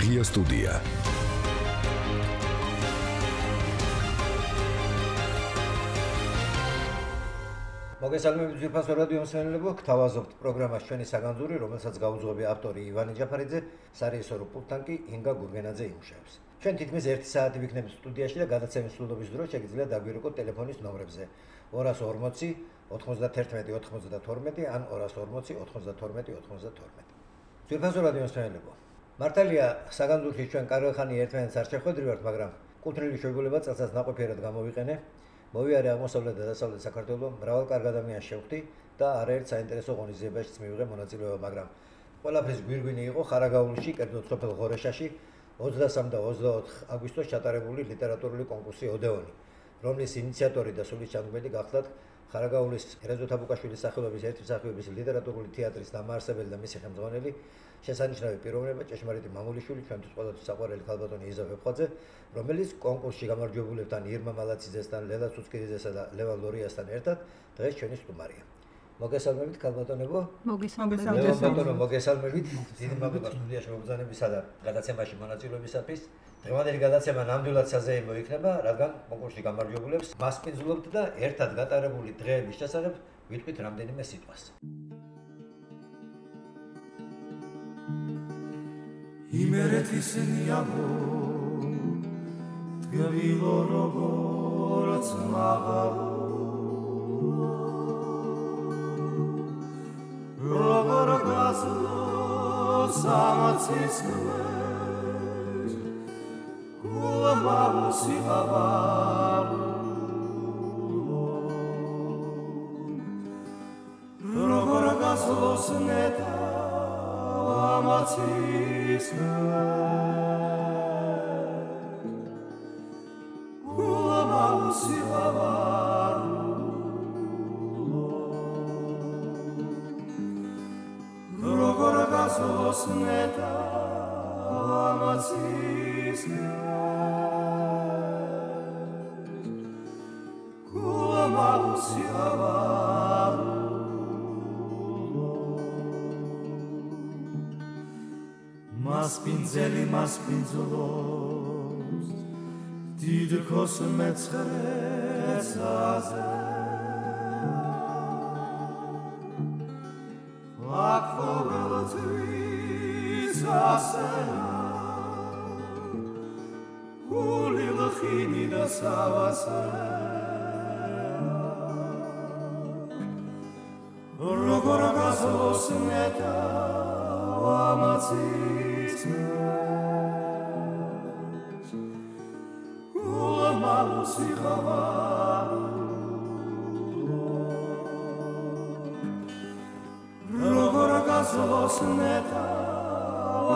Magia Studia. მოგესალმებით ძვირფასო რადიო მსმენელებო, გთავაზობთ პროგრამას ჩვენი საგანძური, რომელსაც გაუძღვები ავტორი ივანე ჯაფარიძე, სარეჟისორო პულტთან კი ინგა გურგენაძე იმუშავებს. ჩვენ თითქმის 1 საათი ვიქნებით სტუდიაში და გადაცემის სრულობის დროს შეგიძლიათ დაგვირეკოთ ტელეფონის ნომრებზე 240 91 92 ან 240 92 92. ძვირფასო რადიო მსმენელებო, მართალია საგანძურში ჩვენ კარგახანი ერთმანეთს არ შეხვედრივართ, მაგრამ კუთვნილი შეგვიძლია წელსაც ნაყოფიერად გამოვიყენე. მოვიარე აღმოსავლეთ და დასავლეთ საქართველოს მრავალ კარგ ადამიანს შევხვდი და არაერთ საინტერესო ღონისძიებაშიც მივიღე მონაწილეობა, მაგრამ ყველაფრის გვირგვინი იყო ხარაგაულში, კერძოდ სოფელ ღორეშაში 23 და 24 აგვისტოს ჩატარებული ლიტერატურული კონკურსი ოდეონი, რომლის ინიციატორი და სულისჩამდგმელი გახლდათ ხარაგაულის ერაზო თაბუკაშვილის სახელობის ერთი მსახიობის ლიტერატურული თეატრის დამაარსებელი და მისი ხელმძღვანელი, შესანიშნავი პიროვნება, ჭეშმარიტი მამულიშვილი, ჩვენთვის ყველთვის საყვარელი ქალბატონი იზა ვეფხვაძე, რომელიც კონკურსში გამარჯვებულებთან ირმა მალაციძესთან, ლელა ცუცკირიძესა და ლევა ლორიასთან ერთად დღეს ჩვენი სტუმარია. მოგესალმებით ქალბატონებო. მოგესალმებით. დიდი მადლობა სტუდიაში მოგზაურობისა და გადაცემაში მონაწილეობისათვის. დღევანდელი გადაცემა ნამდვილად საზეიმო იქნება, რადგან კონკურსში გამარჯვებულებს მასპინძლობთ და ერთად გატარებული დღეების შესახებ ვიტყვით რამდენიმე სიტყვას. იმერეთის ნიავო თგვილო როგორც მაღალო როგორ გასვლო სამაცის კვეს გულმავსი ავარო როგორ გასვლო სნეტა ამაცის გულმავსი ავარო როგორ გასვლოს ნეტა ამაცის გულმავსი ავარო მასპინძელი მასპინძლობს დიდქოს მეცხრეცაზე აქ ასენა გული ლხინი და სავასე როგორ გასვლოს ნეტა ამაცის გულმავსი ავარო როგორ გასვლოს ნეტა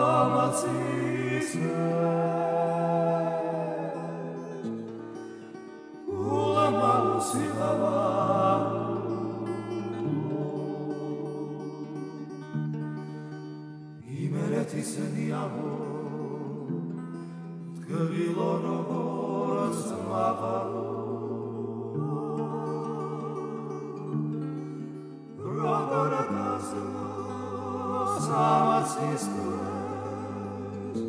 ამაცის გულმავსი ავარო იმერეთის ნიავო თგვილო როგორც მაღალო როგორ გასვლოს ამაცის კვეს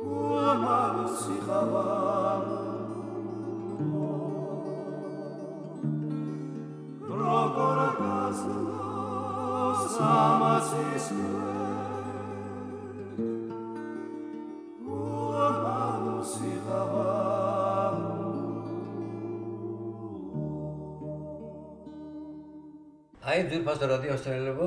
გულმავსი ავარო როგორ გასვლოს ამაცის კვეს გულმავსი ავარო აი ძვირფასო რადიო მსმენელებო,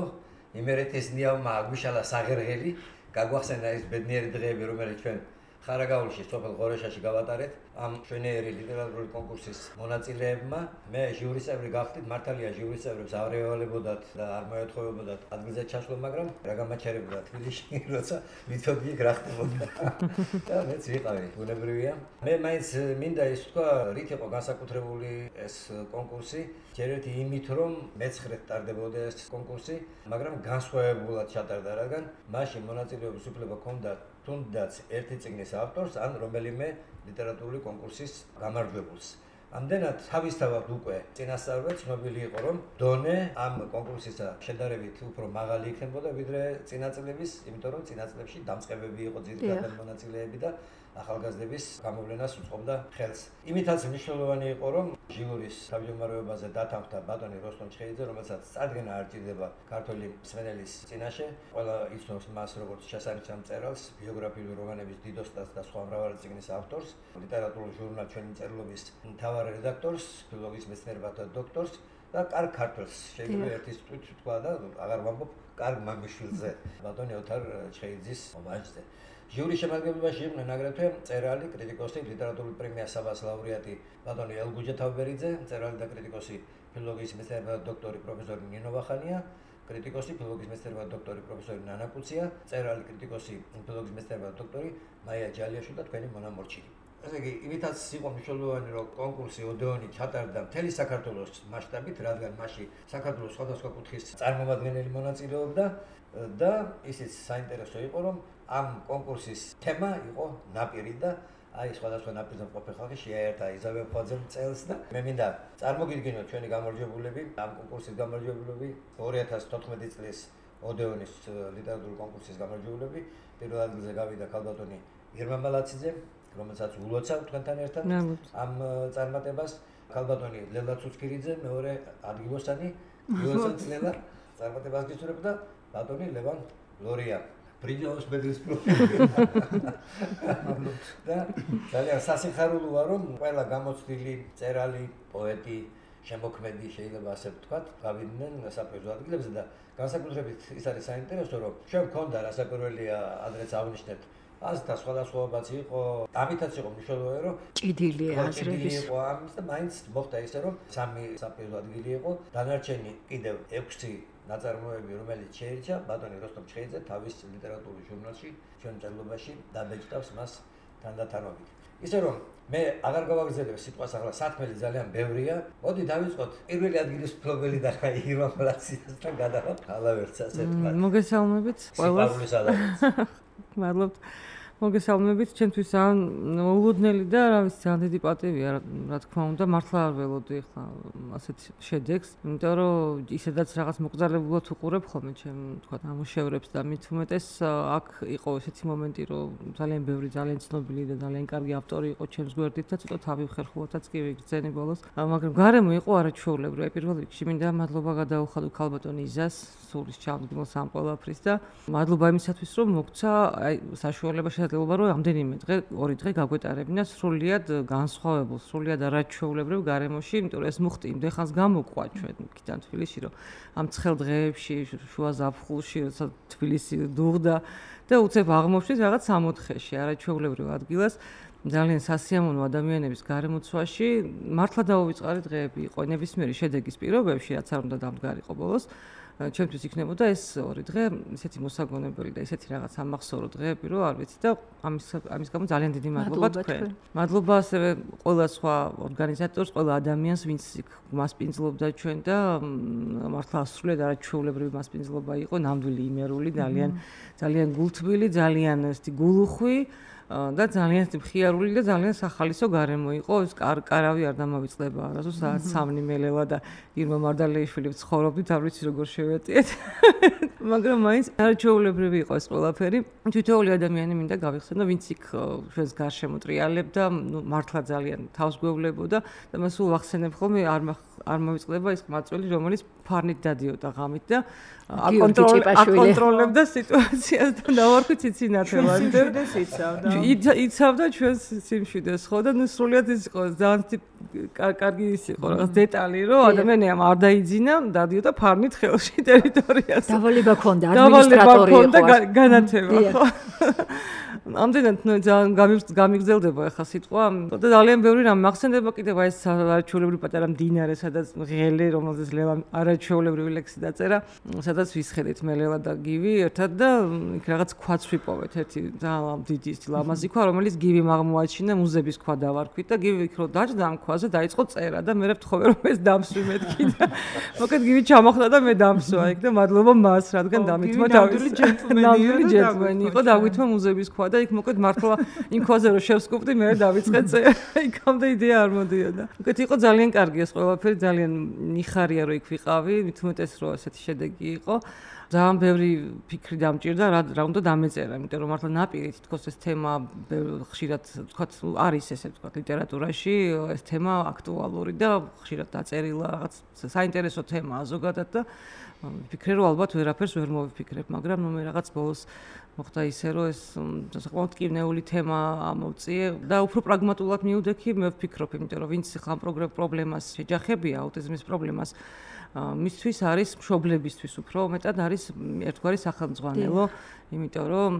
იმერეთის ნიავმა აგვიშალა საღერღელი, გაგვახსენა ის ბედნიერი დღეები, რომელიც ჩვენ ხარაგაულში სოფელ ღორეშაში გავატარეთ ამ შვენიერი ლიტერატურული კონკურსის მონაწილეებმა. მე ჟიურის წევრი გახდით, მართალია ჟიურის წევრებს არ ევალებოდათ და არ მოეთხოვებოდათ ადგილზე ჩასვლა, მაგრამ რა გამაჩერებდა თბილისში, როცა მითოდი იქ რა ხდებოდა. და მეც ვიყავი, ბუნებრივია. მე მაინც მინდა ის თქვა, რით იყო განსაკუთრებული ეს კონკურსი. ჯერ ერთი იმით, რომ მეცხრედ ტარდებოდა ეს კონკურსი, მაგრამ განსხვავებულად ჩატარდა, რადგან მაშინ მონაწილეობის უფლება ჰქონდა თუნდაც ერთი წიგნის ავტორს ან რომელიმე ლიტერატურული კონკურსის გამარჯვებულს. ამდენად თავისთავად უკვე წინასწარვე ცნობილი იყო, რომ დონე ამ კონკურსისა შედარებით უფრო მაღალი იქნებოდა ვიდრე წინა წლების, იმიტომ რომ წინა წლებში დამწყებები იყო ძირითადად მონაწილეები და ახალგაზრდების გამოვლენას უწყობდა ხელს. იმითაც მნიშვნელოვანი იყო, რომ ჟიურის თავმჯდომარეობაზე დათანხმდა ბატონი როსტომ ჩხეიძე, რომელსაც წარდგენა არ ჭირდება ქართველი მსმენელის წინაშე. ყველა იცნობს მას როგორც შესანიშნავ მწერალს, ბიოგრაფიული რომანების დიდოსტატს და სხვა მრავალი წიგნის ავტორს, ლიტერატურულ ჟურნალ ჩვენი მწერლობის მთავარ რედაქტორს, ფილოლოგიის მეცნიერებათა დოქტორს და კარგ ქართველს. შეიძლება ერთი თვით თქვა და აღარ ვამბობ კარგ მამიშვილზე, ბატონი ოთარ ჩხეიძის ომაჟზე. ჟიურის შემადგენლობაში იყვნენ აგრეთვე მწერალი, კრიტიკოსი, ლიტერატურული პრემია საბას ლაურეატი ბატონი ელგუჯა თავბერიძე, მწერალი და კრიტიკოსი, ფილოლოგიის მეცნიერებათა დოქტორი პროფესორი ნინო ვახანია, კრიტიკოსი, ფილოლოგიის მეცნიერებათა დოქტორი პროფესორი ნანა კუცია, მწერალი, კრიტიკოსი, ფილოლოგიის მეცნიერებათა დოქტორი მაია ჯალიაშვილი და თქვენი მონა მორჩილი. ესე იგი, იმითაც იყო მნიშვნელოვანი, რომ კონკურსი ოდეონი ჩატარდა მთელი საქართველოს მასშტაბით, რადგან მასში საქართველოს სხვადასხვა კუთხის წარმომადგენელი მონაწილეობდა და ისიც საინტერესო იყო, რომ ამ კონკურსის თემა იყო ნაპირი და აი სხვადასხვა ნაპირზე მყოფი ხალხი შეაერთა იზაბელ ფოძემ წელს და მე მინდა წარმოგიდგინოთ ჩვენი გამარჯვებულები, ამ კონკურსის გამარჯვებულები 2014 წლის ოდეონის ლიტერატურული კონკურსის გამარჯვებულები. პირველ ადგილზე გავიდა ქალბატონი ირმა მალაციძე, რომელსაც ულოცავ თქვენთან ერთად ამ წარმატებას, ქალბატონი ლელა ცუცქირიძე, მეორე ადგილოსანი, ლელა წარმატებას გისურვებდა ბატონი ლევან ლორია. ბრინჯაოს მედლის პროფესორი. და ძალიან სასიხარულოა, რომ ყველა გამოცდილი მწერალი, პოეტი, შემოქმედი შეიძლება ასე ვთქვათ, გავიდნენ საპრიზო ადგილებზე და განსაკუთრებით ის არის საინტერესო, რომ ჩვენ გვქონდა რასაკვირველია ადრეც აღნიშნეთ აზრთა სხვადასხვაობაც იყო, ამითაც იყო მნიშვნელოვანი, რომ ჭიდილი აზრების იყო ამის და მაინც მოხდა ისე, რომ 3 საპრიზო ადგილი იყო, დანარჩენი კიდევ 6 ნაწარმოები, რომელიც შეირჩა ბატონი როსტომ ჩხეიძე თავის ლიტერატურულ ჟურნალში, ჩვენ მწერლობაში დაბეჭდავს მას თანდათანობით. ისე რომ მე აღარ გავაგრძელებ სიტყვას, ახლა საქმელი ძალიან ბევრია. მოდი დავიწყოთ პირველი ადგილის მფლობელი და ირმა მალაციძესთან გადავალთ ალავერც ასე თქვა. მოგესალმებით ყველას. მადლობთ. მოგესალმებით, ჩემთვის ძალიან ულოდნელი და რა ვიცი, ძალიან დიდი პატივია, რა თქმა უნდა, მართლა არ ველოდი ახლა ასეთ შედეგს, იმიტომ რომ ისედაც რაღაც მოკრძალებულად უყურებ ხოლმე ჩემ თქვა ამუშევრებს და მით უმეტეს აქ იყო ესეთი მომენტი, რომ ძალიან ბევრი, ძალიან ცნობილი და ძალიან კარგი ავტორი იყო ჩემს გვერდით და ცოტა თავი ხერხულათაც კი ვიგრძენი ბოლოს, მაგრამ გარემო იყო არაჩვეულებრივი. პირველ რიგში მინდა მადლობა გადაუხადო ქალბატონ იზას, სულის ჩამდგმელს ამ ყველაფრის და მადლობა იმისათვის, რომ მოგცა აი საშუალება შეიძლება რომ ამდენიმე დღე, 2 დღე გაგვეტარებინა სრულიად განსხვავებულ, სრულიად არაჩვეულებრივ გარემოში, იმიტომ რომ ეს მუხტი იმდენ ხანს გამოყვა ჩვენ იქიდან თბილისში, რომ ამ ცხელ დღეებში, შუა ზაფხულში, როცა თბილისი დუღდა და უცებ აღმოჩნდით რაღაც 64-ში არაჩვეულებრივ ადგილას. ძალიან სასიამოვნო ადამიანების გარემოცვაში მართლა დაუვიწყარი დღეები იყო ნებისმიერი შედეგის პირობებში, რაც არ უნდა დამდგარიყო ბოლოს. ჩემთვის იქნებოდა ეს 2 დღე ისეთი მოსაგონებელი და ისეთი რაღაც ამახსოვრო დღეები, რომ არ ვიცი და ამის გამო ძალიან დიდი მადლობა თქვენ. მადლობა ასევე ყველა სხვა ორგანიზატორს, ყველა ადამიანს, ვინც მასპინძლობდა ჩვენ და მართლა სრულიად არაჩვეულებრივი მასპინძლობა იყო, ნამდვილი იმერული, ძალიან გულთბილი, ძალიან ესეთი გულუხვი. და ძალიან მხიარული და ძალიან სახალისო გარემო იყო. ეს კარავი არ დამოვიწყდება არასდროს საათ 3 მელელა და ირმა მარდალეიშვილი ცხოვრობდით, არ ვიცი როგორ შევეტიეთ. მაგრამ მაინც არაჩვეულებრივი იყო ეს ყველაფერი. თითოეული ადამიანი მინდა გავიხსენო, ვინც იქ ჩვენს გარშემო ტრიალებდა, მართლა ძალიან თავს გვევლებოდა და მას სულ ვახსენებ ხოლმე არ მოვიწყდება ის მაწველი, რომელიც ფარნით დადიოდა ღამით და აკონტროლებდა სიტუაციას და დავარქვი ციცინათელად. იცავდა ჩვენს სიმშვიდეს, ხო და ნუ სრულიად ის იყო ძალიან კარგი ის იყო რაღაც დეტალი, რომ ადამიანი არ დაიძინა, დადიოდა ფარნით ხელში ტერიტორიას. დავალება ქონდა, ადმინისტრატორი იყო. და განათება, ხო. ამდენად ძალიან გამიგრძელდება ახლა სიტყვა და ძალიან ბევრი რამ მახსენდება კიდევ აი ეს არაჩვეულებრივი პატარა მდინარე, სადაც ღელე, რომელზეც ლელა არაჩვეულებრივი ლექსი დაწერა, სადაც ვისხედით მე ლელა და გივი ერთად და იქ რაღაც ქვაც ვიპოვეთ, ერთი ძალიან დიდი ლამაზი ქვა, რომელიც გივიმ აღმოაჩინა, მუზების ქვა დავარქვით და გივი იქ რო დაჯდა ამ ქვას თვალზე დაიწყო წერა და მე ვთხოვე რომ ეს დამსვი მეთქი და მოკეთ გივი ჩამოხდა და მე დამსვა იქ და მადლობა მას რადგან დამითმა თავის ნამდვილი ჯენტლმენი იყო დავითმა მუზეების ქვა და იქ მოკეთ მართლა იმ ქვაზე რომ შევსკუპდი მე დავიწყე წერა იქამდე იდეა არ მოდიოდა მოკეთ იყო ძალიან კარგი ეს ყველაფერი ძალიან მიხარია რომ იქ ვიყავი მით უმეტეს რომ ესეთი შედეგი იყო ძალიან ბევრი ფიქრი დამჭირდა რა უნდა დამეწერა იმიტომ რომ მართლა ნაპირით თქოს ეს თემა ხშირად თქვა არის ესე თქვა ლიტერატურაში ეს თემა აქტუალური და ხშირად დაწერილა რაღაც საინტერესო თემაა ზოგადად და ვფიქრე რომ ალბათ ვერაფერს ვერ მოვიფიქრებ მაგრამ მე რაღაც ბოლოს მოხდა ისე რომ ეს საკმაოდ კიბნეული თემა ამოვწიე და უფრო პრაგმატულად მივდექი მე ვფიქრობ იმიტომ რომ ვინც ხამ პრობლემას შეჯახებია აუტიზმის პრობლემას მისთვის არის მშობლებისთვის უფრო მეტად არის ერთგვარი სახელმძღვანელო იმიტომ რომ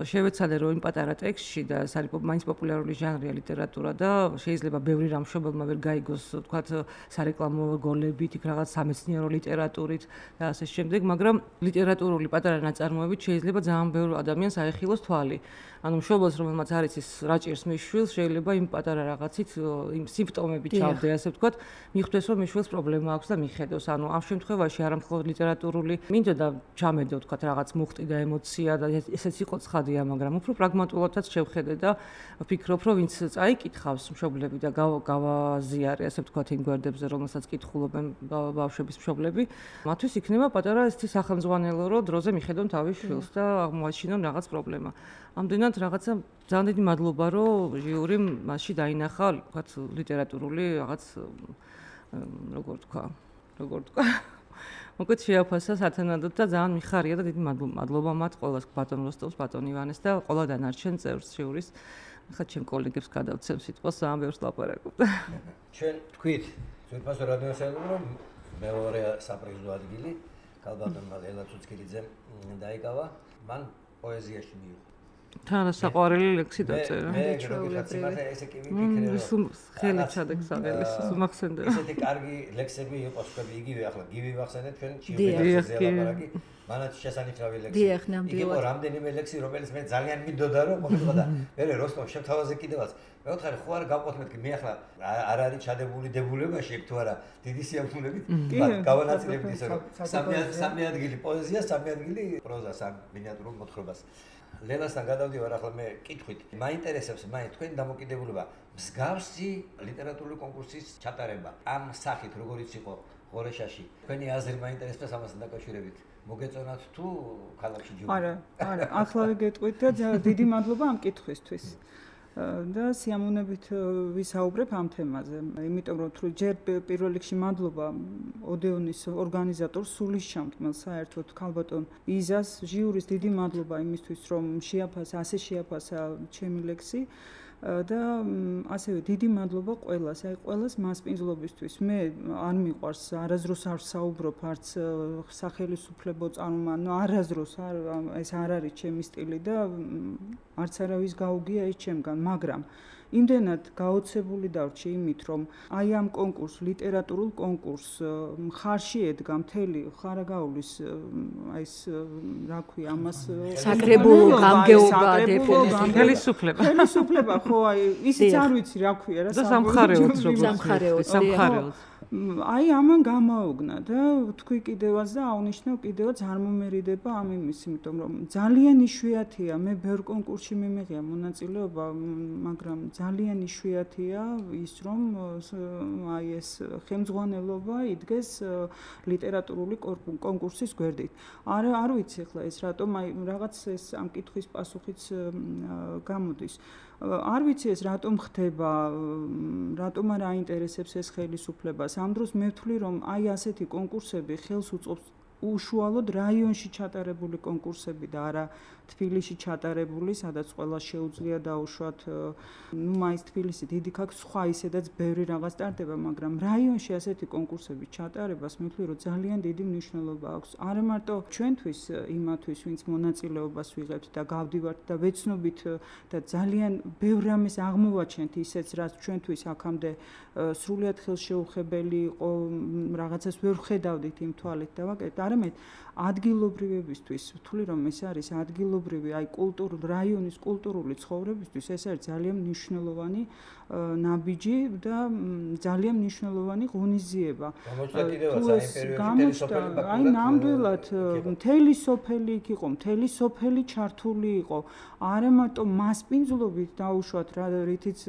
შევეცადე რომ იმ პატარა ტექსტში და ეს არის მაინც პოპულარული ჟანრია ლიტერატურა და შეიძლება ბევრი რამ მშობელმა ვერ გაიგოს თქვათ სარეკლამო გოლებით იქ რაღაც სამეცნიერო ლიტერატურით და ასე შემდეგ მაგრამ ლიტერატურული პატარა ნაწარმოებით შეიძლება ძალიან ბევრ ადამიანს აეხილოს თვალი ანუ მშობელს რომელმაც არის ის რაჭერს მის შვილს შეიძლება იმ პატარა რაღაცით იმ სიმპტომებით ჩავდე ასე ვთქვათ მიხვდეს რომ მის შვილს პრობლემა აქვს და მიხედოს ანუ ამ შემთხვევაში არა მხოლოდ ლიტერატურული მინდოდა ჩამედო ვთქვათ რაღაც მუხტი და ემოცია და ესეც იყო ცხადია მაგრამ უფრო პრაგმატულადაც შევხედე და ვფიქრობ რომ ვინც წაიკითხავს მშობლები და გავაზიარე ასე ვთქვათ იმ გვერდებზე რომელსაც კითხულობენ ბავშვების მშობლები მათთვის იქნება პატარა ესეთი სახელმძღვანელო რომ დროზე მიხედონ თავის შვილს და აღმოაჩინონ რაღაც პრობლემა ამდენად რაღაცა ძალიან დიდი მადლობა რომ ჟიურიმ მასში დაინახა ვთქვათ ლიტერატურული რაღაც როგორ თქვა მოკეთ შეაფასა სათანადოდ და ძალიან მიხარია და დიდი მადლობა მათ ყველას ბატონ როსტოვს, ბატონ ივანეს და ყველა დანარჩენ წევრს ჟიურის. ხა ჩემ კოლეგებს გადავცემ სიტყვას ძალიან ბევრს ლაპარაკობ. ჩვენ თქვით ძვირფასო რადიოსავალო რომ მეორე საპრიზო ადგილი ქალბატონმა ელა ცუცკილიძემ დაიკავა, მან პოეზიაში მიიღო. თან საყვარელი ლექსი დაწერა. მე გეჩვეულებრივი ესე კი ვიფიქრე რომ ხელი ჩადეკსაველი სუმახსენდა. ესეთი კარგი ლექსები იყოს თქვენ იგივე ახლა გივი ვახსენეთ ჩვენ ჩიუბელიძეზე ლაპარაკი მანაც შესანიშნავი ლექსი. იყო რამდენიმე ლექსი რომელიც მე ძალიან მინდოდა რომ მოხდა და მე როსტომ შევთავაზე კიდევაც მე ვთხარი ხო არ გავყოთ მე ახლა არ არის ჩადებული დებულებაში ეგ თუ არა დიდი სიამოვნებით გავანაწილებდი ისე რომ სამი ადგილი პოეზია სამი ადგილი პროზა სამ მინიატურულ მოთხრობას ლელასთან გადავდივარ ახლა მე კითხვით მაინტერესებს მაინც თქვენი დამოკიდებულება მსგავსი ლიტერატურული კონკურსის ჩატარება ამ სახით როგორიც იყო ღორეშაში თქვენი აზრი მაინტერესებს ამასთან დაკავშირებით მოგეწონათ თუ ქალაქში ჯობია არა ახლავე გეტყვით და დიდი მადლობა ამ კითხვისთვის და სიამოვნებით ვისაუბრებ ამ თემაზე იმიტომ რომ თუ ჯერ პირველ რიგში მადლობა ოდეონის ორგანიზატორს სულისჩამდგმელ საერთოდ ქალბატონ იზას ჟიურის დიდი მადლობა იმისთვის რომ ასე შეაფასა ჩემი ლექსი და ასევე დიდი მადლობა ყველას, აი ყველას მასპინძლობისთვის. მე არ მიყვარს არაზროს არ საუბრობ არც სახელმწიფო წარმომადგენლ, არაზროს ეს არ არის ჩემი სტილი და არც არავის გაუგია ეს ჩემგან, მაგრამ იმდენად გაოცებული დავრჩი იმით, რომ აი ამ კონკურს, ლიტერატურულ კონკურს მხარში ედგა მთელი ხარაგაულის აი ეს რა ქვია ამას საკრებულო გამგეობა დეპუტატი ხელისუფლება ხო აი ისიც არ ვიცი რა ქვია რა სამხარეოც აი ამან გამაოგნა და თქვი კიდევაც და აუნიშნავ კიდევაც არ მომერიდება ამ იმის, იმიტომ რომ ძალიან იშვიათია, მე ბევრ კონკურსში მიმიღია მონაწილეობა, მაგრამ ძალიან იშვიათია ის რომ აი ეს ხელმძღვანელობა იდგეს ლიტერატურული კონკურსის გვერდით. არ ვიცი ახლა ეს რატომ აი რაღაც ეს ამ კითხვის პასუხიც გამოდის. არ ვიცი ეს რატომ ხდება, რატომ არ აინტერესებს ეს ხელისუფლებას. ამ დროს მე ვთვლი რომ აი ასეთი კონკურსები ხელს უწყობს უშუალოდ რაიონში ჩატარებული კონკურსები და არა თბილისში ჩატარებული, სადაც ყველა შეუძლია დაუშვათ, მაინც თბილისი დიდი ქაქ სხვა ისედაც ბევრი რაღაც ტარდება, მაგრამ რაიონში ასეთი კონკურსები ჩატარებას მე ვთვლი რომ ძალიან დიდი მნიშვნელობა აქვს. არა მარტო ჩვენთვის, იმათვის, ვინც მონაწილეობას ვიღებთ და გავდივართ და ვეცნობით და ძალიან ბევრ რამეს აღმოვაჩენთ ისეც, რაც ჩვენთვის აქამდე სრულიად ხელშეუხებელი იყო, რაღაცას ვერ ხედავდით იმ თვალით და ვაკეთებთ. არამედ ადგილობრივებისთვის, ვთვლი რომ ეს არის ადგილობრივი, აი რაიონის კულტურული ცხოვრებისთვის ეს არის ძალიან მნიშვნელოვანი ნაბიჯი და ძალიან მნიშვნელოვანი ღონისძიება. აი ნამდვილად მთელი სოფელი იქ იყო, მთელი სოფელი ჩართული იყო. არა მარტო მასპინძლობით დაუშვათ რა რითიც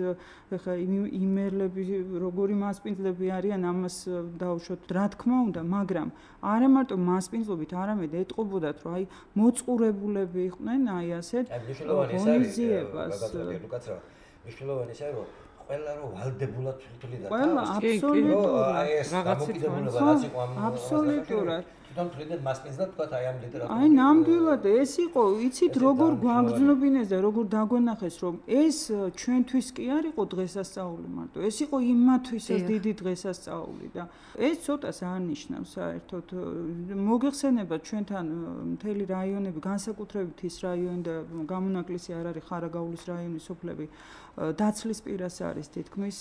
ხა იმერლები როგორი მასპინძლები არიან ამას დაუშვათ რა თქმა უნდა, მაგრამ არა მარტო მასპინძლობით, არამედ ეტყობოდათ რომ აი მოწყურებულები იყვნენ აი ასეთ ღონისძიებას. მნიშვნელოვანი ისაა რომ ყველა რომ ვალდებულად თვლიდა და ყველა აბსოლუტურად აი ეს დამოკიდებულება რაც იყო ამ აბსოლუტურად თვითონ თვლიდან მასპინძლად თქვა აი ამ ლიტერატურაში აი ნამდვილად ეს იყო იცით როგორ გვაგრძნობინეს და როგორ დაგვენახეს რომ ეს ჩვენთვის კი არ იყო დღესასწაული მარტო ეს იყო იმათვისაც დიდი დღესასწაული და ეს ცოტას არნიშნავს საერთოდ მოგეხსენება ჩვენთან მთელი რაიონები განსაკუთრებით ის რაიონი და გამონაკლისი არ არის ხარაგაულის რაიონის სოფლები დაცლის პირას არის თითქმის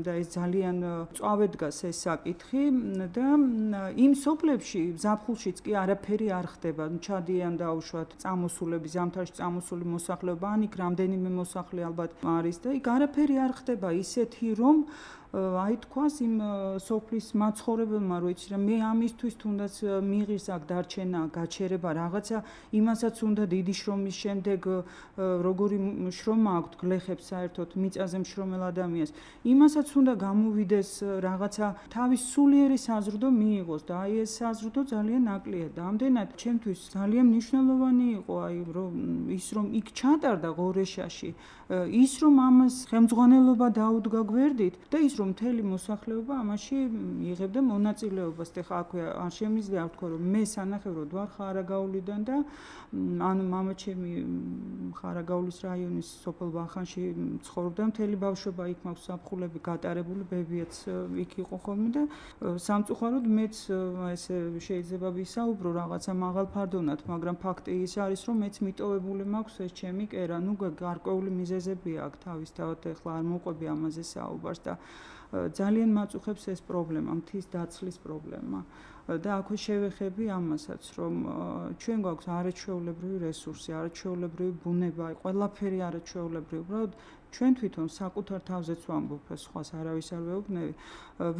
და ეს ძალიან წვავედ დგას ეს საკითხი და იმ სოფლებში ზაფხულშიც კი არაფერი არ ხდება ჩადიან დაუშვათ წამოსულები ზამთარში წამოსული მოსახლეობა ან იქ რამდენიმე მოსახლე ალბათ არის და იქ არაფერი არ ხდება ისეთი რომ აი თქვას იმ სოფლის მაცხოვრებელმა რო იცი რომ მე ამისთვის თუნდაც მიღირს აქ დარჩენა გაჩერება რაღაცა იმასაც უნდა დიდი შრომის შემდეგ როგორი შრომა აქვს გლეხებს საერთოდ მიწაზე მშრომელ ადამიანს იმასაც უნდა გამოვიდეს რაღაცა თავის სულიერი საზრდო მიიღოს და აი ეს საზრდო ძალიან ნაკლია და ამდენად ჩემთვის ძალიან მნიშვნელოვანი იყო აი ის რომ იქ ჩატარდა ღორეშაში ის რომ ამას ხელმძღვანელობა დაუდგა გვერდით და ის რომ მთელი მოსახლეობა ამაში იღებდა მონაწილეობას. ეხლა აქვე არ შემიძლია ვთქვა რომ მე სანახევროდ ვარ ხარაგაულიდან და ანუ მამაჩემი ხარაგაულის რაიონის სოფელ ვახანში ცხოვრობდა მთელი ბავშვობა იქ მაქვს საფხულები გატარებული ბებიაც იქ იყო ხოლმე და სამწუხაროდ მეც ესე შეიძლება ვისაუბრო რაღაცა მაღალფარდონად მაგრამ ფაქტი ის არის რომ მეც მიტოვებული მაქვს ეს ჩემი კერა ნუ გარკვეული მიზეზებია აქ თავისთავად ეხლა არ მოყვები ამაზე საუბარს და ძალიან მაწუხებს ეს პრობლემა, მთის დაცლის პრობლემა. და აქვე შევეხები ამასაც, რომ ჩვენ გვაქვს არაჩვეულებრივი რესურსი, არაჩვეულებრივი ბუნება, ყველაფერი არაჩვეულებრივი. უბრალოდ ჩვენ თვითონ საკუთარ თავზეც ვამბობ, სხვას არავის არ ვეუბნები,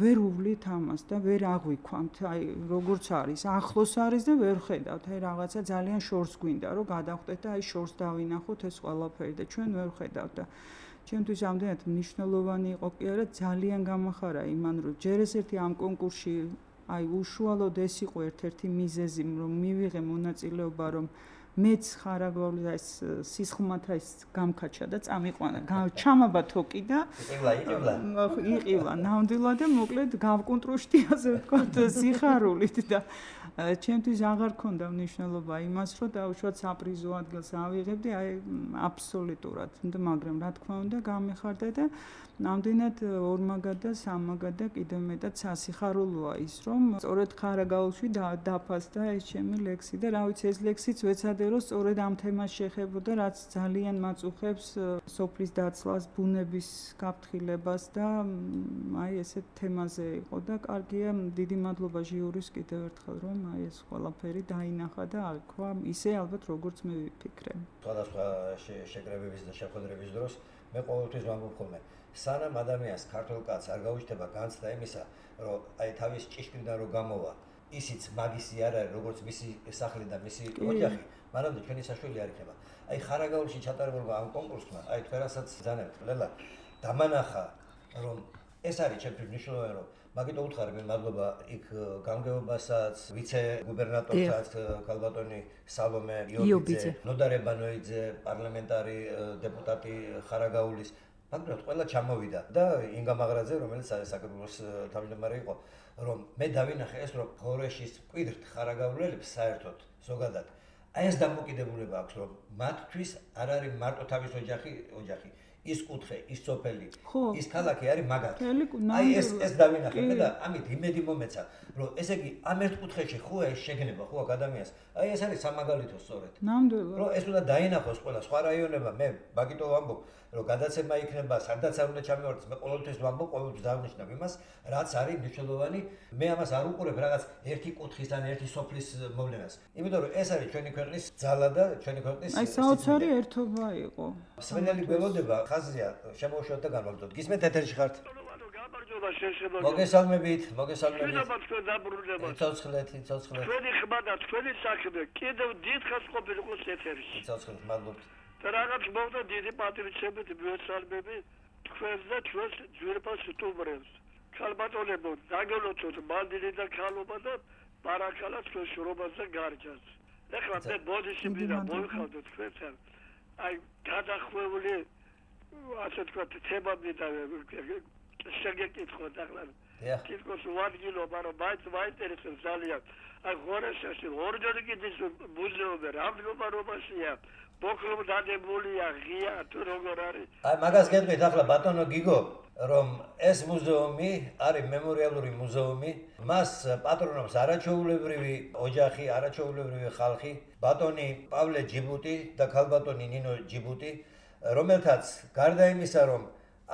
ვერ უვლით ამას და ვერ აღვიქვამთ, აი როგორც არის, ახლოს არის და ვერ ხედავთ, აი რაღაცა ძალიან შორს გვინდა, რომ გადავხდეთ და აი შორს დავინახოთ ეს ყველაფერი და ჩვენ ვერ ხედავთ და ჩემთვის ამდენად მნიშვნელოვანი იყო კი არა ძალიან გამახარა იმან რომ ჯერ ესეთი ამ კონკურსში აი უშუალოდ ეს იყო ერთ-ერთი მიზეზი რომ მივიღე მონაწილეობა რომ მეც ხარაგაულის ეს სისხლმათა ის გამქაჩა და წამიყვანა ჩამაბა თოკი და იყილა ნამდვილად და მოკლედ გავკონტროშტიაზე ვთქვათ სიხარულით და ჩემთვის აღარ ქონდა მნიშვნელობა იმას რომ დაუშვათ საპრიზო ადგილს ავიღებდი აი აბსოლუტურად მაგრამ რა თქმა უნდა გამეხარდა და ნამდვილად ორმაგად და სამაგად და კიდევ მეტად სასიხარულოა ის რომ სწორედ ხარაგაულში დაფასდა ეს ჩემი ლექსი და რა ვიცი ეს ლექსიც ვეცადე რომ სწორედ ამ თემას შეხებოდა რაც ძალიან მაწუხებს სოფლის დაცლას ბუნების გაფრთხილებას და აი ესეთ თემაზე იყო და კარგია დიდი მადლობა ჟიურის კიდევ ერთხელ რომ აი ეს ყველაფერი დაინახა და აღქვა ისე ალბათ როგორც მე ვიფიქრე. სხვადასხვა შეკრებების და შეხვედრების დროს მე ყოველთვის ვამბობ ხოლმე სანამ ადამიანს ქართულ კაცს არ გაუჩნდება განცდა იმისა რომ აი თავის ჭიშკრიდან რომ გამოვა ისიც მაგისი არ არის როგორც მისი სახლი და მისი ოჯახი მანამდე ჩვენი საშველი არ იქნება. აი ხარაგაულში ჩატარებულმა ამ კონკურსმა აი თქვენასაც ძანებთ ლელა დამანახა რომ ეს არის ჩემთვის მნიშვნელოვანი რომ მაგით უთხარი მე მადლობა იქ გამგეობასაც ვიცე გუბერნატორსაც ქალბატონი სალომე იობიძე ნოდარ ებანოიძე პარლამენტარი დეპუტატი ხარაგაულის მაგრამ ყველა ჩამოვიდა და ინგა მაღრაძე რომელიც საქართველოს თავმჯდომარე იყო რომ მე დავინახე ეს რომ ღორეშის მკვიდრთ ხარაგაულელებს საერთოდ ზოგადად აი ეს დამოკიდებულება აქვს რომ მათთვის არ არის მარტო თავის ოჯახი ის კუთხე, ის სოფელი, ის ქალაქი არის მაგარი. აი ეს დავინახე მე და ამით იმედი მომეცა, რომ ესე იგი ამ ერთ კუთხეში ხო ეს შეგნება ხო აქ ადამიანს. აი ეს არის სამაგალითო სწორედ. ნამდვილად. რომ ეს უნდა დაინახოს ყველა სხვა რაიონებმა, მე მაგიტო ვამბობ, რომ გადაცემა იქნება, სადაც არ უნდა ჩამივარდეს, მე ყოველთვის ვამბობ, ყოველთვის დავნიშნავ იმას, რაც არის მნიშვნელოვანი. მე ამას არ უყურებ რაღაც ერთი კუთხის ან ერთი სოფლის მოვლენას. იმიტომ რომ ეს არის ჩვენი ქვეყნის ძალა და ჩვენი ქვეყნის აი საოცარი ერთობა იყო. სვენელი გველოდება, ხაზია, შემოუშვათ და განვალდოთ. გისმენთ ეთერში ხართ? მოგესალმებით. ცოცხლეთ. ჩვენი ხმა და ჩვენი საქმე კიდევ დიდხანს ყოფილიყოს ეთერში. ცოცხლეთ, მადლობთ. და რაღაც მოვდა დიდი პატრიოტები მიესალმები თქვენს და ჩვენს ძვირფას სტუმრებს. ქალბატონებო, დაგელოცოთ მანდილი და ქალობა და ბარაკალა თქვენ შრომას და გარჯას. ეხლა მე ბოდიში მინდა მოვიხავდეთ თქვენთან. აი გადახვეული ასე თქვა თემა მინდა შეგეკითხოთ ახლა. კითხოს ვადგილო, მაგრამ მაინტერესებს ძალიან. აი ხორეშაში ორჯერ კიდის მუზეუმი რამდენობაშია. ბოქრომ დადებულია ღია თუ როგორ არის. აი მაგას გეტყვით ახლა ბატონო გიგო, რომ ეს მუზეუმი არის მემორიალური მუზეუმი, მას პატრონობს არაჩვეულებრივი ოჯახი, არაჩვეულებრივი ხალხი, ბატონი პავლე ჯიბუტი და ქალბატონი ნინო ჯიბუტი, რომელთაც გარდა იმისა, რომ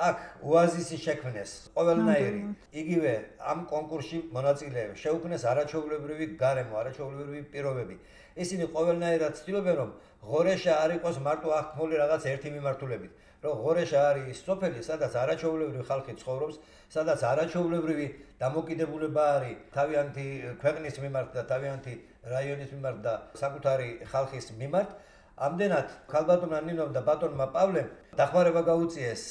აქ ოაზისი შექმნეს ყოველნაირი, იგივე ამ კონკურსში მონაწილეებს შეუქმნეს არაჩვეულებრივი გარემო, არაჩვეულებრივი პირობები. ისინი ყოველნაირად ცდილობენ, რომ ღორეშა არ იყოს მარტო აღქმული რაღაც ერთი მიმართულებით, რომ ღორეშა არის ის სოფელი, სადაც არაჩვეულებრივი ხალხი ცხოვრობს, სადაც არაჩვეულებრივი დამოკიდებულება არის თავიანთი ქვეყნის მიმართ და თავიანთი რაიონის მიმართ და საკუთარი ხალხის მიმართ. ამდენად ქალბატონმა ნინომ და ბატონმა პავლემ დახმარება გაუწიეს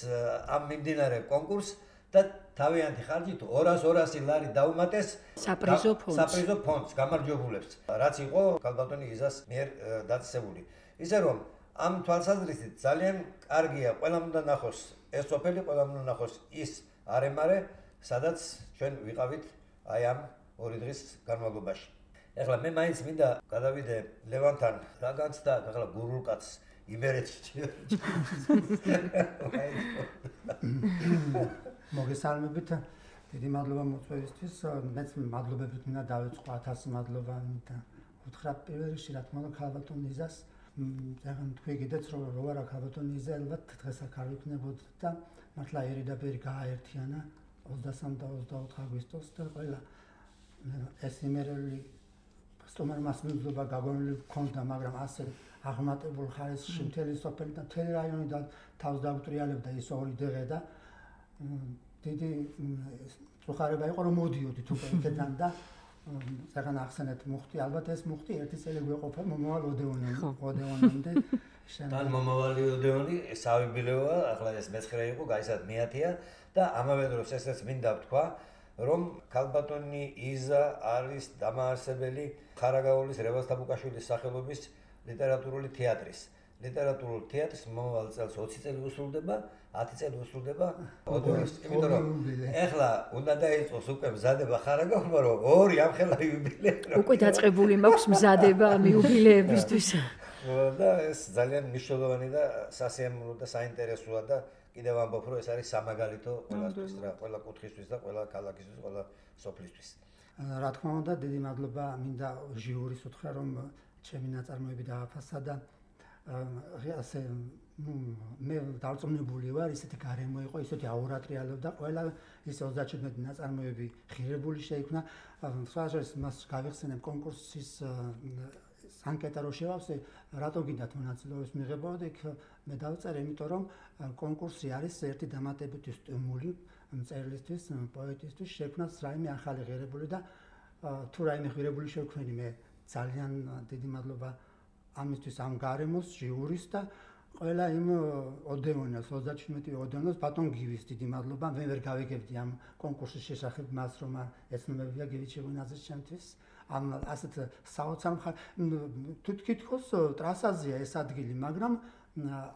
ამ მიმდინარე კონკურსს და თავიანთი ხარჯით 200 ლარი დაუმატეს საპრიზო ფონდს გამარჯვებულებს, რაც იყო ქალბატონი იზას მიერ დაწესებული. ისე რომ ამ თვალსაზრისით ძალიან კარგია, ყველამ უნდა ნახოს ეს სოფელი, ყველამ უნდა ნახოს ის არემარე, სადაც ჩვენ ვიყავით აი ამ 2 დღის განმავლობაში. ეხლა მე მაინც მინდა გადავიდე ლევანთან რა განცდა ახლა გურულკაც იმერეთში. მოგესალმებით. დიდი მადლობა მოწვევისთვის. მეც მადლობებით მინდა დავიწყო 1000 მადლობა და უთხრა პირველ რიგში რა თქმა უნდა ქალბატონ იზას. ზეგან თქვი კიდეც რომ რა ქალბატონ იზა ალბათ დღეს აქ არ იქნებოდა და მართლა ერიდაბერი გააერთიანა 23 და 24 აგვისტოს და ყველა ეს იმერელი სტუმარმა მადლობა გაგონილი გქონდა, მაგრამ ასე აღმატებულ ხარისხში მთელი სოფელი და მთელი რაიონი და თავს დაუტრიალებდა ის 2 დღე და დიდი წუხარება იყო რომ მოდიოდით უკვე იქიდან და ზეგან ახსენეთ მუხტი, ალბათ ეს მუხტი ერთი წელი გვეყოფა მომავალ ოდეონამდე. თან მომავალი ოდეონი საიუბილეოა, ახლა ეს მე-9 იყო, გაიცად მე-10-ია და ამავე დროს ესეც მინდა ვთქვა, რომ ქალბატონი იზა არის დამაარსებელი ხარაგაულის რევაზ-თაბუკაშვილის სახელობის ლიტერატურული თეატრის. ლიტერატურულ თეატრს მომავალ წელს 20 წელი უსრულდება, 10 წელი უსრულდება ოდეონს. იმიტომ რომ ეხლა უნდა დაიწყოს უკვე მზადება ხარაგაულმა, რომ 2 ამხელა იუბილეა. უკვე დაწყებული მაქვს მზადება ამ იუბილეებისთვის. და ეს ძალიან მნიშვნელოვანი და სასიამოვნო და საინტერესოა და კიდევ ამბობ, რომ ეს არის სამაგალითო ყველასთვის რა, ყველა კუთხისთვის და ყველა ქალაქისთვის, ყველა სოფლისთვის. რა თქმა უნდა, დიდი მადლობა მინდა ჟიურის უთხრა, რომ ჩემი ნაწარმოები დააფასა და ასე მე დარწმუნებული ვარ, ისეთი გარემო იყო, ისეთი აურა ტრიალობდა, ყველა ის 37 ნაწარმოები ღირებული შეიქმნა. სხვადასხვა მას გავიხსენებ კონკურსის ანკეტა რო შევავსე, რატო გინდათ მონაწილეობის მიღება და იქ მე დავწერე, იმიტომ რომ კონკურსი არის ერთი დამატებითი სტიმული მწერლისთვის, პოეტისთვის შექმნას რაიმე ახალი ღირებული და თუ რაიმე ღირებული შევქმნი მე ძალიან დიდი მადლობა ამისთვის ამ გარემოს ჟიურის და ყველა იმ ოდეონას 37 ოდეონას ბატონ გივის დიდი მადლობა. მე ვერ გავიგებდი ამ კონკურსის შესახებ მას რომ ეცნობებია გივი ჩიგუნაძის ჩემთვის. ამ ასეთ საოცარ თუ თქოს ტრასაზეა ეს ადგილი, მაგრამ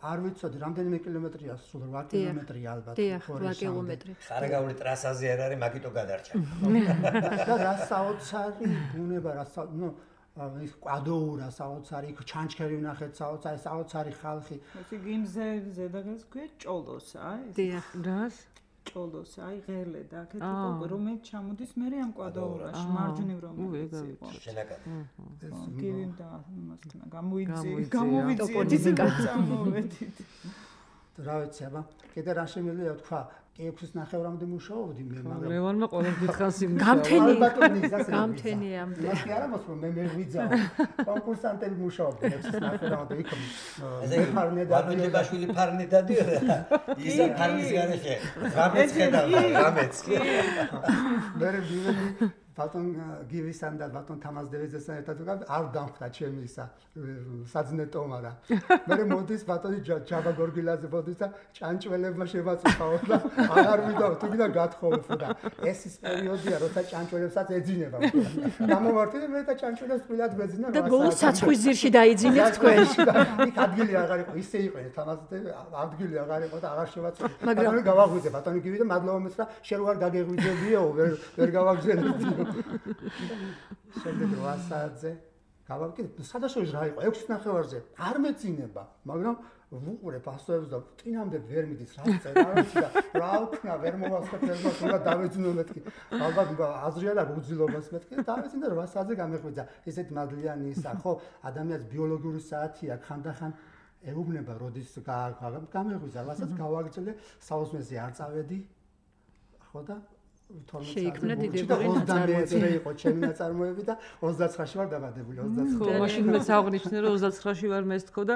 არ ვიცოდი რამდენიმე კილომეტრია, სულ 8 კილომეტრია ალბათ. 8 კილომეტრი. ხარაგაული ტრასაზე არ არის, მაგიტო გადარჩა. და რა საოცარი ბუნება, ის კვადოურა საოცარი, იქ ჩანჩქერი ვნახეთ საოცარი ხალხი. ესე გიმზე ზედაღაც ქვია ჭოლოსა, ეს. დიახ, რას? ჭოლოსა, აი ღერლე და აქეთ უკვე რომელიც ჩამოდის მე ამ კვადოურაში, მარჯვნივ რომელიც იყო. შენაკადი. გივიმ და მასთან გამოვიდით. რა ვიცი, აბა, კიდე რა შემიძლია თქვა, 6 ნახევრამდე მუშაობდი მე, მაგრამ ლევანმა ყოველ დიდხანს გამთენი ამდე. ის კი არა მოსულ მე ვიძავ. კონკურსანტები მუშაობდნენ 6 ნახევრამდე იქ. ვანოჯებაშვილი ფარნი დადიოდა. ის ფარნის გარეშე. რამეც ხედავდა, რამეც. მე ვიდი ბატონ გივისთან და ბატონ თამაზდევიძესთან ერთად არ დამხვდა ჩემი ისა საძნეტომა რა. მე მოდის ბატონი ჯაბა გორგილაძე მოდის და ჭანჭველებმა შევაწუხაო და აღარ ვიდავ თუ გინდა გათხოვოთ და ეს ის პერიოდია როცა ჭანჭველებსაც ეძინება. გამომართი მე და ჭანჭველებს თბილად გვეძინა. და ბოლოს საცხვის ძირში დაიძინეთ თქვენ. იქ ადგილი აღარ იყო, ისე იყო თამაზდევი ადგილი აღარ იყო და აღარ შევაწუხე. ბატონი გავაღვიძე, ბატონი გივიდა მადლობა მეც და შენ რო არ გაგეღვიძებიო, ვერ გავაგზავნე. შემდეგ 8 საათზე გავაკეთე, სადაშოშ რა იყო 6 ნახევარზე არ მეცინება, მაგრამ ვუყურე პასტოებს და წინამდე ვერ მიდის რა წერა და რა ვქნა ვერ მოვასწრებ ერთმანეთს უნდა დავეძინო მეთქი. ალბათ აზრია და უძილობას მეთქი და დავეძინე 8 საათზე გამეხვიძა. ესეთ მადლიანი ისა, ხო, ადამიანს ბიოლოგიური საათი აქვს, ხანდახან ეუბნება როდის გამეხვიძა, რასაც გავაგრძელე, საოცმეზე არ წავედი. ხო და შეიქმნა დიდებული ნაწარმოები იყო ჩემი ნაწარმოები და 29-ში ვარ დაბადებული 29. ხო, მაშინ მეც აღნიშნე რომ 29-ში ვარ მესთქო და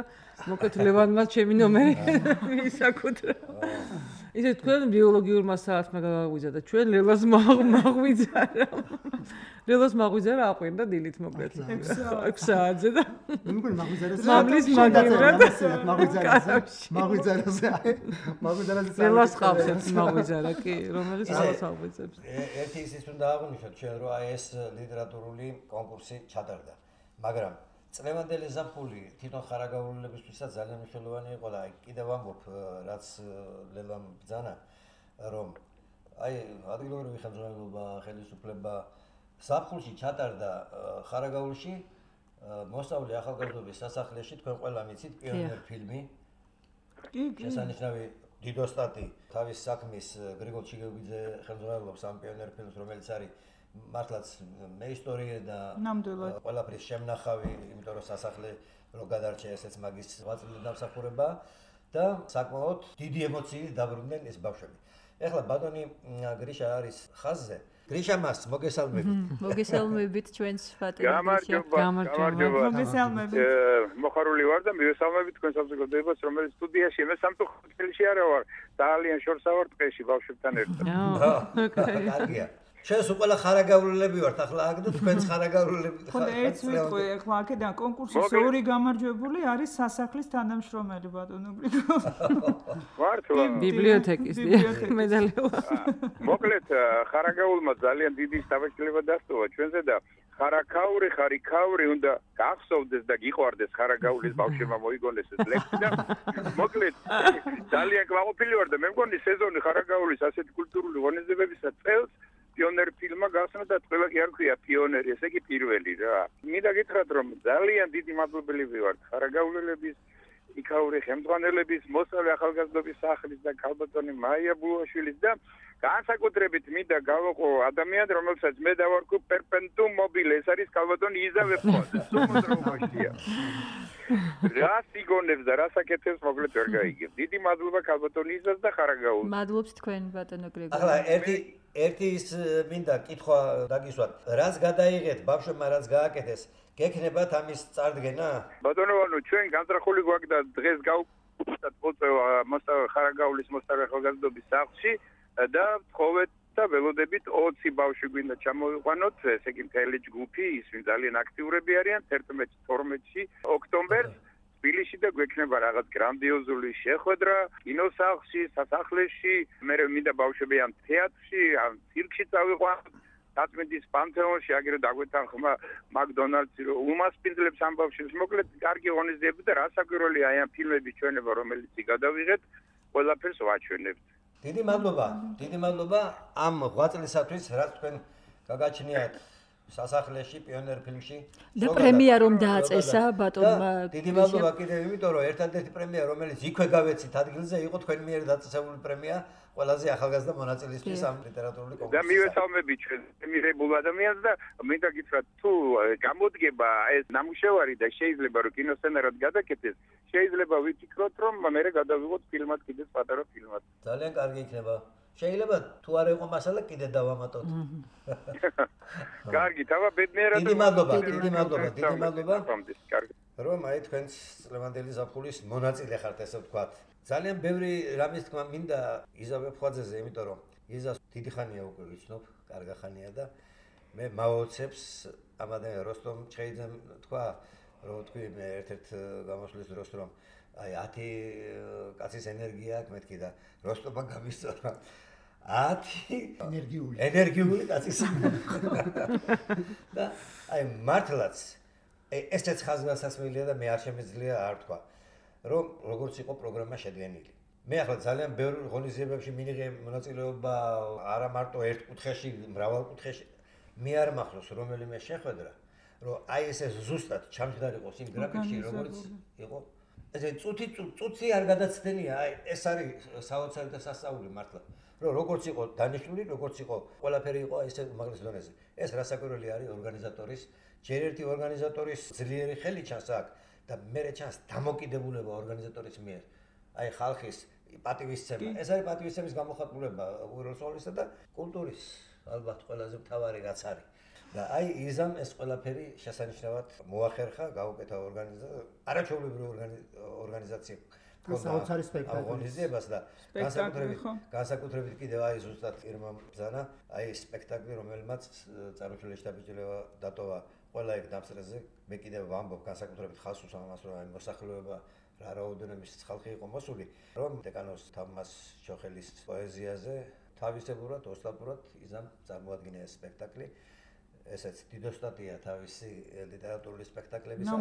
მოკეთ ლევანმა ჩემი ნომერი ისაკუთრა. ისე თქვენ ბიოლოგიურმა საათმა გავაღვიძა და ჩვენ ლელას მაღვიძა რა. ლელას მაღვიძა რა აყვირდა დილით მოკლედ 6 საათზე და მეგონა მაღვიძარას მამლის მაგივრად მაღვიძარას ლელას ყავს მაღვიძარა კი რომელიც ლელას აღვიძებს. ერთი ისიც უნდა აღვნიშნოთ ჩვენ რომ აი ეს ლიტერატურული კონკურსი ჩატარდა. მაგრამ წლევანდელი ზაფხული თვითონ ხარაგაულელებისთვისაც ძალიან მნიშვნელოვანი იყო და კიდევ ამბობ რაც ლელამ ბრძანა რომ აი ადგილობრივი ხელმძღვანელობა, ხელისუფლება ზაფხულში ჩატარდა ხარაგაულში მოსწავლე ახალგაზრდობის სასახლეში თქვენ ყველა მიცით პიონერ ფილმი. კი. შესანიშნავი დიდოსტატი თავის საქმის გრიგოლ ჩიგეგვიძე ხელმძღვანელობს ამ პიონერ ფილმს რომელიც არის მართლაც მე ისტორია და ყველაფრის შემნახავი, იმიტომ რომ სასახლე რო გადარჩა ესეც მაგის ვაწილი დამსახურება და საკმაოდ დიდი ემოციით დაბრუნდნენ ეს ბავშვები. ეხლა ბატონი გრიშა არის ხაზზე. გრიშა მას მოგესალმებით. მოგესალმებით ჩვენს ფატერ. გამარჯობა. მოგესალმებით. მოხარული ვარ და მივესალმებით თქვენ საზოგადოებას, რომელიც სტუდიაში მე სამწუხაროდ ხელში არა ვარ. ძალიან შორსა ვარ ტყეში ბავშვებთან ერთად. კარგია. ჩვენს უყველა ხარაგაულები ვართ, ახლა აქ და თქვენს ხარაგაულები. ხო, ერთ მეთქვი, ახლა აქედან კონკურსის ორი გამარჯვებული არის სასახლის თანამშრომელი ბატონო გრიგოლ. მართლა. ბიბლიოთეკის მედალევა. მოკლედ ხარაგაულმა ძალიან დიდი შთაბეჭდილება დასწოვა ჩვენზე და ხარაკაური, ხარიკაური უნდა გახსოვდეს და გიყვარდეს ხარაგაულის ბავშვებმა მოიგონეს ეს ლექსი და მოკლედ ძალიან კმაყოფილი ვარ და მე მგონი სეზონი ხარაგაულის ასეთი კულტურული ღონისძიებებისა წელს პიონერ ფილმმა გასნა და ყველა კი არ ქვია პიონერი, ესე იგი პირველი რა. მინდა გითხრათ რომ ძალიან დიდი მადლობელი ვარ ხარაგაულელების, იქაური ხელმძღვანელების, მოსწავლე ახალგაზრდობის სახლის და ქალბატონი მაია ბულაშვილის და განსაკუთრებით მინდა გავაყო ადამიანი რომელსაც მე დავარქვა პერპენტუმ მობილე, ეს არის ქალბატონი იზავე ფონდ. სუმოძროშია. რას იგონებს და რას აკეთებს მოკლედ ვერ გაიგებ. დიდი მადლობა ქალბატონი იზას და ხარაგაულს. მადლობთ თქვენ ბატონო გრიგოლ. ახლა ერთი ის მინდა კითხვა დაგისვათ. რას გადაიღეთ ბავშვებმა რაც გააკეთეს? გექნებათ ამის წარდგენა? ბატონო, ჩვენ განზრახული გვაქვს და დღეს გავუწევთ მოსწავლე ხარაგაულის მოსწავლე ახალგაზრდობის სახლში და ვთხოვეთ და ველოდებით 20 ბავშვი გვინდა ჩამოვიყვანოთ, ესე იგი მთელი ჯგუფი, ის ვინ ძალიან აქტიურები არიან 11-12 ოქტომბერს თბილისში და გვექნება რაღაც გრანდიოზული შეხვედრა კინოსახლში, სასახლეში, მე მინდა ბავშვები ამ თეატრში, ამ ცირკში წავიყვანოთ, დაწმენდის პანთეონში, აგერ დაგვეთანხმა მაკდონალდსი რომ უმასპინძლებს ამ ბავშვებს, მოკლედ კარგი ღონისძიება და რასაკვირველია აი ამ ფილმების ჩვენება, რომელიც გადავიღეთ, ყველაფერს ვაჩვენებთ. დიდი მადლობა ამ ღვაწლისათვის, რაც თქვენ გაგაჩნიათ სასახლეში, პიონერ ფილმში. და პრემია რომ დააწესა ბატონმა. დიდი მადლობა კიდევ იმიტომ რომ ერთადერთი პრემია, რომელიც იქვე გავეცით ადგილზე, იყო თქვენ მიერ დაწესებული პრემია ყველაზე ახალგაზრდა მონაწილისთვის ამ ლიტერატურული და კონკურსში. მივესალმები ჩვენ მიღებულ ადამიანს და მინდა გითხრათ თუ გამოდგება ეს ნამუშევარი და შეიძლება რომ კინოსცენარად გადაკეთდეს, შეიძლება ვიფიქროთ რომ მე გადავიღოთ ფილმად კიდე პატარა ფილმად. ძალიან კარგი იქნება. შეიძლება თუ არ იყო მასალა კიდე დავამატოთ. კარგი, თავა ბედნიერად. დიდი მადლობა, დიდი მადლობა, დიდი მადლობა. კარგი. რომ აი თქვენს ლევანდელი ზაფხულის მონაწილე ხართ ესე ვთქვათ. ძალიან ბევრი რამის თქმა მინდა იზა ვეფხვაძეზე, იმიტომ რომ იზას დიდი ხანია უკვე ვიცნობ, კარგი ხანია და მე მაოცებს ამადან როსტომ ჩხეიძემ თქვა, რომ თქვი მე ერთ-ერთ გამოსვლის დროს რომ აი 10 კაცის ენერგია აქვს მეთქი და როსტომმა გამისწორა 10 ენერგიული კაცის და აი მართლაც ესეც ხაზგასასმელია და მე არ შემეძლია არ თქვა რომ როგორც იყო პროგრამა შედგენილი. მე ახლა ძალიან ბევრ ღონისძიებებში მინიღე მონაწილეობა არა მარტო ერთ კუთხეში, მრავალ კუთხეში. მე არ მახსოვს რომელიმე შეხვედრა, რომ აი ესე ზუსტად ჩამჯდარიყოს იმ გრაფიკში, როგორც იყო. ესე წუთი არ გადაცდენია, აი ეს არის საოცარი და სასწაული მართლა. რომ როგორც იყო დანიშნული, როგორც იყო ყველაფერი იყო ესე უმაღლეს დონეზე. ეს რასაკვირველი არის ორგანიზატორის, ჯერ ერთი ორგანიზატორის ძლიერი ხელი ჩანს აქ და მერე ჩანს დამოკიდებულება ორგანიზატორის მიერ. აი ხალხის პატივისცემა. ეს არის პატივისცემის გამოხატულება უეროსოლისა და კულტურის ალბათ ყველაზე მთავარი რაც არის. და აი იზამ ეს ყველაფერი შესანიშნავად მოახერხა, გაუკეთა არაჩვეულებრივი ორგანიზაცია. საოცარი სპექტაკლი. ღონისძიებას და განსაკუთრებით კიდევ აი ზუსტად ირმა ბრძანა, აი სპექტაკლი რომელმაც წარმოშობილი შტაბ-ბიჭდება დატოვა ყველა ეგ დამსწრეზე. მე კიდევ ვამბობ განსაკუთრებით ხალხს ამას რომ აი მოსახლეობა რა რაოდენობის ხალხი იყო მოსული, რომ დეკანოს თამას ჩოხელის პოეზიაზე თავისებურად, ოსტატურად იზამ წარმოადგინა ეს სპექტაკლი. ესეც დიდოსტატია თავისი ლიტერატურული სპექტაკლებისა.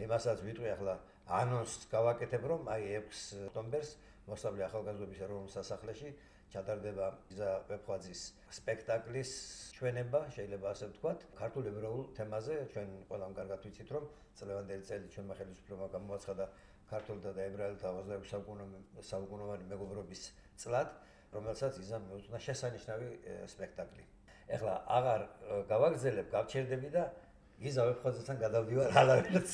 იმასაც ვიტყვი ახლა ანონსს გავაკეთებ, რომ აი 6 ოქტომბერს მოსავლე ახალგაზრდობის ეროვნულ სასახლეში ჩატარდება იზა ვეფხვაძის სპექტაკლის ჩვენება, შეიძლება ასე ვთქვათ, ქართულ ებრაულ თემაზე. ჩვენ ყველამ კარგად ვიცით, რომ წლევანდელი წელი ჩვენმა ხელისუფლებამ გამოაცხადა ქართულთა და ებრაელთა 26 საუკუნოვანი მეგობრობის წლად, რომელსაც იზამ მეუძღვნა შესანიშნავი სპექტაკლი. ეხლა აღარ გავაგზელებ, გავჩერდები და იზა ვეფხვაძესთან გადავდივარ ალავერც.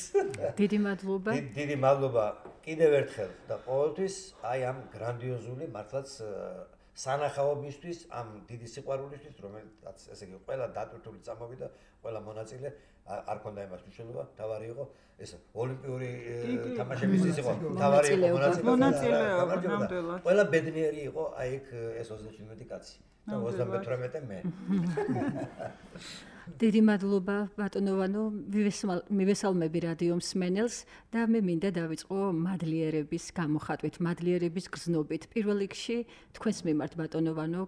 დიდი მადლობა. დიდი მადლობა კიდევ ერთხელ და ყოველთვის აი ამ გრანდიოზული მართლაც სანახაობისთვის, ამ დიდი სიყვარულისთვის, რომელსაც ესე იგი ყველა დატვირთული წამოვიდა, ყველა მონაწილე არ ქონდა იმას მნიშვნელობა, თავარი იყო ეს ოლიმპიური თამაშების ის იყო, თავარი იყო მონაწილეობა. ყველა ბედნიერი იყო აი ეგ ეს 37 კაცი. 38 მე. დიდი მადლობა ბატონოვანო, მივესალმები რადიო მსმენელს და მე მინდა დავიწყო მადლიერების გამოხატვით, მადლიერების გზნობით. პირველ რიგში თქვენს მიმართ ბატონოვანო,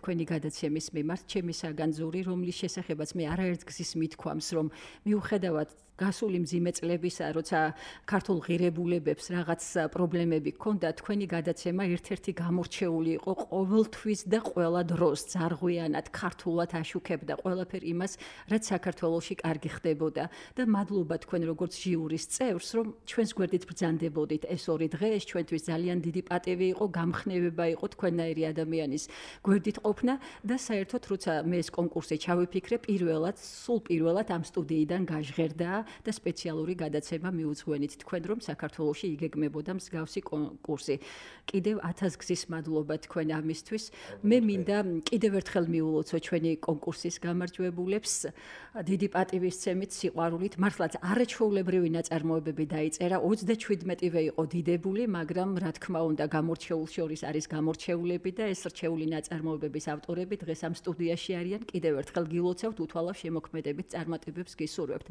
თქვენი გადაცემის მიმართ, ჩემი საგანძური, რომლის შესახებაც მე არაერთ გზის მithქვამს, რომ მიუხედავად გასული მძიმე წლებისა, როცა ქართულ ღირებულებებს რაღაც პრობლემები ჰქონდა, თქვენი გადაცემა ერთ-ერთი გამორჩეული იყო ყოველთვის და ყველა დროს ძარღვიანად, ქართულად აშუქებდა ყველაფერ იმას, რაც საქართველოში კარგი ხდებოდა და მადლობა თქვენ როგორც ჟიურის წევრს, რომ ჩვენს გვერდით ბრძანდებოდით ეს 2 დღე, ეს ჩვენთვის ძალიან დიდი პატივი იყო, გამხნევება იყო თქვენნაირი ადამიანის გვერდით ყოფნა და საერთოდ როცა მე ეს კონკურსი ჩავიფიქრე, სულ პირველად ამ სტუდიიდან გაჟღერდა და სპეციალური გადაცემა მიუძღვენით თქვენ, რომ საქართველოში იგეგმებოდა მსგავსი კონკურსი. კიდევ 1000 გზის მადლობა თქვენ ამისთვის. მე მინდა კიდევ ერთხელ მიულოცო ჩვენი კონკურსის გამარჯვებულებს დიდი პატივისცემით, სიყვარულით, მართლაც არაჩვეულებრივი ნაწარმოებები დაიწერა, 37-ვე იყო დიდებული, მაგრამ რა თქმა უნდა გამორჩეულ შორის არის გამორჩეულები და ეს რჩეული ნაწარმოებების ავტორები დღეს ამ სტუდიაში არიან. კიდევ ერთხელ გილოცავთ, უთვალავ შემოქმედებით წარმატებებს გისურვებთ.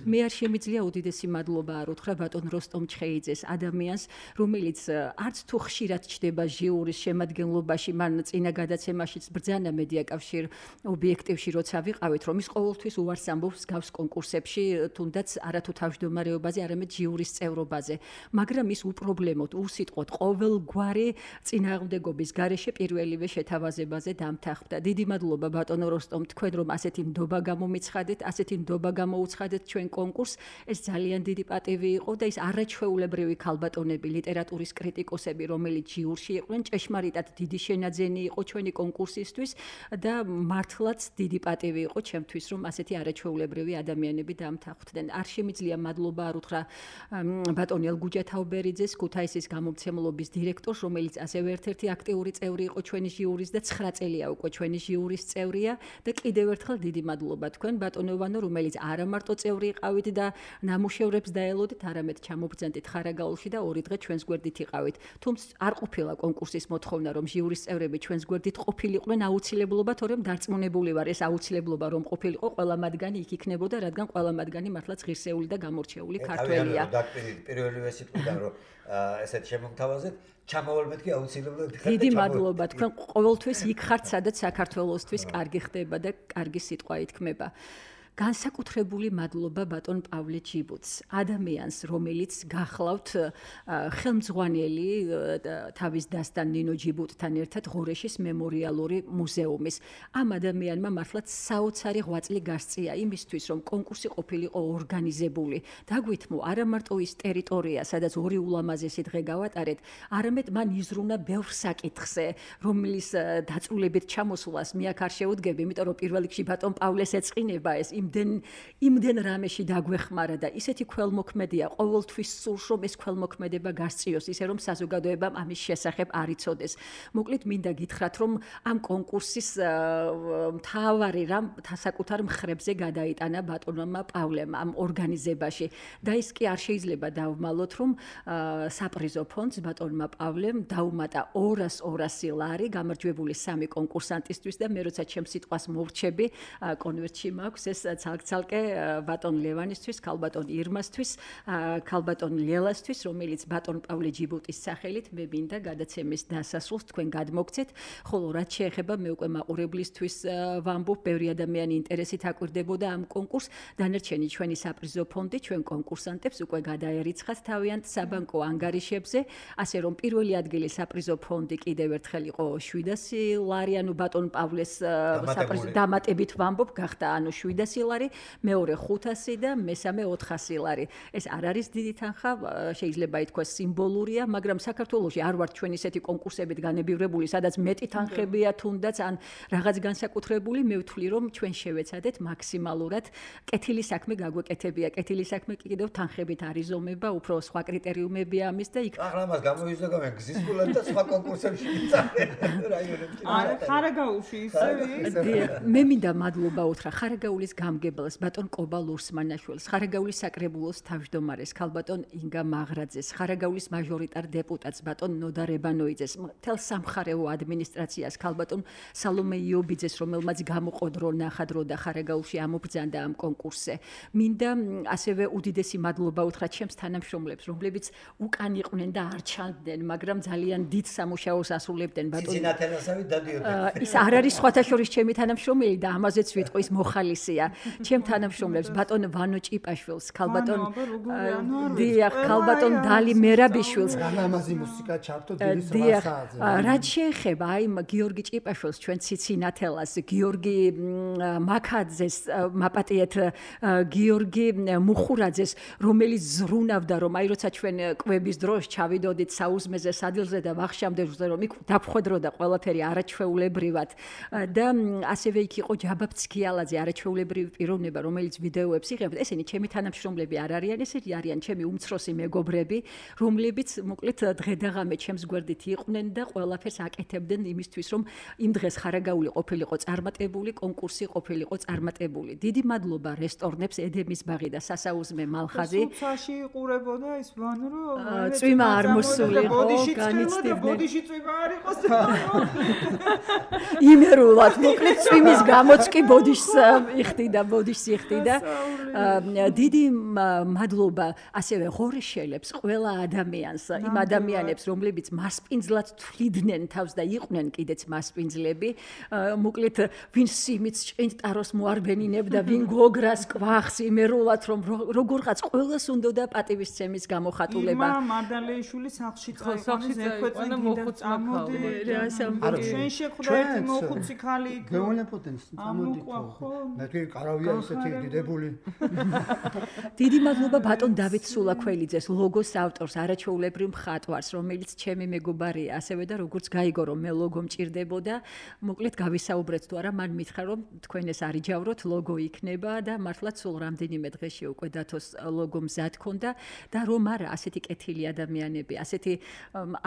მე არ შემიძლია უდიდესი მადლობა არ უთხრა ბატონ როსტომ ჩხეიძეს, ადამიანს, რომელიც არც თუ ხშირად ჩდება ჟიურის შემადგენლობაში, მან წინა გადაცემაშიც ბრძანა მედია კავშირ ობიექტივში როცა ვიყავით, რომ ის ყოველთვის უარს ამბობს გავს კონკურსებში, თუნდაც არათუ თავმჯდომარეობაზე, არამედ ჟიურის წევრობაზე. მაგრამ ის უპრობლემოდ, უსიტყვოდ ყოველგვარი წინააღმდეგობის გარეშე პირველივე შეთავაზებაზე დამთახდა. დიდი მადლობა ბატონო როსტომ, თქვენ რომ ასეთი ნდობა გამომიცხადეთ, ასეთი ნდობა გამოუცხადეთ ჩვენ კონკურსს. ეს ძალიან დიდი პატივი იყო და ის არაჩვეულებრივი ქალბატონები, ლიტერატურის კრიტიკოსები, რომელიც ჟიურში იყვნენ, ჭეშმარიტად დიდი შენაძენი იყო ჩვენი კონკურსისთვის და მართლაც დიდი პატივი იყო ჩემთვის, რომ ასეთი არაჩვეულებრივი ადამიანები დამთანხმდნენ. არ შემიძლია მადლობა არ უთხრა ბატონ ელგუჯა თაუბერიძეს, ქუთაისის გამომცემლობის დირექტორს, რომელიც ასევე ერთ-ერთი აქტიური წევრი იყო ჩვენი ჟიურის და 9 წელია უკვე ჩვენი ჟიურის წევრია და კიდევ ერთხელ დიდი მადლობა თქვენ ბატონო ვანო, რომელიც არა მარტო წევრი იყავით და ნამუშევრებს დაელოდით, არამედ ჩამობრძანდით ხარაგაულში და 2 დღე ჩვენს გვერდით იყავით. თუმცა არ ყოფილა კონკურსის მოთხოვნა, რომ ჟიურის წევრები ჩვენს გვერდით ყოფილიყვნენ აუცილებლობა, თორემ დარწმუნებული ვარ, ეს აუცილებლობა რომ ყოფილიყო, ყველა მათგანი იქ იქნებოდა, რადგან ყველა მათგანი მართლაც ღირსეული და გამორჩეული ქართველია. პირველივე სიტყვიდან რომ ესეთ შემოგთავაზეთ, ჩამოვალმეთ კი აუცილებლად. დიდი მადლობა, თქვენ ყოველთვის იქ ხართ, სადაც საქართველოსთვის კარგი ხდება და კარგი სიტყვა ითქმება. განსაკუთრებული მადლობა ბატონ პავლე ჯიბუტს, ადამიანს, რომელიც გახლავთ ხელმძღვანელი თავის დასთან ნინო ჯიბუტთან ერთად ღორეშის მემორიალური მუზეუმის. ამ ადამიანმა მართლაც საოცარი ღვაწლი გასწია იმისთვის, რომ კონკურსი ყოფილიყო ორგანიზებული. დაგვითმო, არა მარტო ის ტერიტორია, სადაც 2 ულამაზესი დღე გავატარეთ, არამედ მან იზრუნა ბევრ საკითხზე, რომლის დაწვრილებით ჩამოსვლას მე აქ არ შეუდგები, იმიტომ რომ პირველ რიგში ბატონ პავლეს ეწყინება ეს იმდენ რამეში დაგვეხმარა და ისეთი ქველმოქმედია, ყოველთვის სურს რომ ეს ქველმოქმედება გასწიოს, ისე რომ საზოგადოებამ ამის შესახებ არ იცოდეს. მოკლედ მინდა გითხრათ, რომ ამ კონკურსის მთავარი რამ საკუთარ მხრებზე გადაიტანა ბატონმა პავლემ ამ ორგანიზებაში და ის კი არ შეიძლება დავმალოთ, რომ საპრიზო ფონდს ბატონმა პავლემ დაუმატა 200 ლარი გამარჯვებული 3 კონკურსანტისთვის და მე როცა ჩემს სიტყვას მოვრჩები, კონვერტში მაქვს ეს ცალკე ბატონ ლევანისთვის, ქალბატონ ირმასთვის, ქალბატონ ლელასთვის, რომელიც ბატონ პავლე ჯიბუტის სახელით მე მინდა გადაცემის დასასრულს თქვენ გადმოგცეთ, ხოლო რაც შეეხება მე უკვე მაყურებლისთვის ვამბობ, ბევრი ადამიანი ინტერესით აკვირდებოდა ამ კონკურსს, დანარჩენი ჩვენი საპრიზო ფონდი ჩვენ კონკურსანტებს უკვე გადაერიცხათ თავიანთ საბანკო ანგარიშებზე, ასე რომ პირველი ადგილი საპრიზო ფონდი კიდევ ერთხელ იყო 700 ლარი, ანუ ბატონ პავლეს საპრიზო დამატებით ვამბობ, გახდა ანუ 700 ლარი, მეორე 500 და მესამე 400 ლარი. ეს არ არის დიდი თანხა, შეიძლება ითქვას სიმბოლურია, მაგრამ საქართველოში არ ვართ ჩვენ ისეთი კონკურსებით განებივრებული, სადაც მეტი თანხებია თუნდაც ან რაღაც განსაკუთრებული, მე ვთვლი რომ ჩვენ შევეცადეთ მაქსიმალურად კეთილი საქმე გაგვეკეთებია. კეთილი საქმე კიდევ თანხებით არ იზომება, უფრო სხვა კრიტერიუმებია ამის და იქ ახლა მას გამოიზოგავენ გზის გულად და სხვა კონკურსებში იწარმენ რაიონებში. ხარაგაულში ისე მე მინდა მადლობა უთხრა ხარაგაულის გამგებელს ბატონ კობა ლურსმანაშვილს, ხარაგაულის საკრებულოს თავმჯდომარეს ქალბატონ ინგა მაღრაძეს, ხარაგაულის მაჟორიტარ დეპუტატს ბატონ ნოდა რებანოიძეს, მთელ სამხარეო ადმინისტრაციას ქალბატონ სალომე იობიძეს, რომელმაც გამოყოდრო ნახადრო და ხარაგაულში ამობრძანდა ამ კონკურსზე. მინდა ასევე უდიდესი მადლობა უთხრა ჩემს თანამშრომლებს, რომლებიც უკან იყვნენ და არ ჩანდნენ, მაგრამ ძალიან დიდ სამუშაოს ასრულებდნენ ბატონ ცინათელასავით დადიოდნენ. ის არ არის სხვათა შორის ჩემი თანამშრომელი და ამაზეც ვიტყვი ის მოხალისია. ჩემ თანამშრომლებს ბატონ ვანო ჭიპაშვილს, ქალბატონ დიახ, ქალბატონ დალი მერაბიშვილს. რამაზი მუსიკა ჩართო დილის 8 საათზე. რაც შეეხება აი გიორგი ჭიპაშვილს, ჩვენ ციცინათელას, გიორგი მაკაძეს, მაპატიეთ გიორგი მუხურაძეს, რომელიც ზრუნავდა რომ აი როცა ჩვენ კვების დროს ჩავიდოდით საუზმეზე სადილზე და ვახშამდე რომ იქ დაფხვედროდა ყველაფერი არაჩვეულებრივად და ასევე იქ იყო ჯაბა ფცქიალაძე, არაჩვეულებრივი პიროვნება, რომელიც ვიდეოებს იღებდა. ესენი ჩემი თანამშრომლები არ არიან, ესენი არიან ჩემი უმცროსი მეგობრები, რომლებიც მოკლედ დღე და ღამე ჩემს გვერდით იყვნენ და ყველაფერს აკეთებდნენ იმისთვის, რომ იმ დღეს ხარაგაული ყოფილიყო წარმატებული, კონკურსი ყოფილიყო წარმატებული. დიდი მადლობა რესტორნებს ედემის ბაღი და სასაუზმე მალხაზი. სუცაში იყურებოდა ის ვანო რომ წვიმა არ მოსულიყო, განიცდიდნენ. ბოდიში წვიმა არ იყოს. იმერულად, მოკლედ წვიმის გამოც კი ბოდიშს იხდიდა, ბოდიშს იხდიდა. დიდი მადლობა ასევე ღორეშელებს, ყველა ადამიანს, იმ ადამიანებს, რომლებიც მასპინძლად თვლიდნენ თავს და იყვნენ კიდეც მასპინძლები. მოკლედ, ვინ სიმიც ჭინტაროს მოარბენინებდა, ვინ გოგრას კვახს იმერულად, რომ როგორღაც ყველას უნდოდა პატივისცემის გამოხატულება. იმა მადალეიშვილი სახლში წაიყვანეს ექვეწინ გინდა წამოდი. ჩვენ შეხვდებით მოხუცი ქალი. გეუნებოდენ წამოდით. მე კი კარავ არავია ისეთი დიდებული. დიდი მადლობა ბატონ დავით სულაქველიძეს, ლოგოს ავტორს, არაჩვეულებრივ მხატვარს, რომელიც ჩემი მეგობარია, ასევე და როგორც გაიგო რომ მე ლოგო მჭირდებოდა, მოკლედ გავისაუბრეთ თუ არა, მან მითხრა რომ თქვენ ეს არიჯავროთ, ლოგო იქნება და მართლაც სულ რამდენიმე დღეში უკვე დათოს ლოგო მზად ქონდა და რომ არა ასეთი კეთილი ადამიანები, ასეთი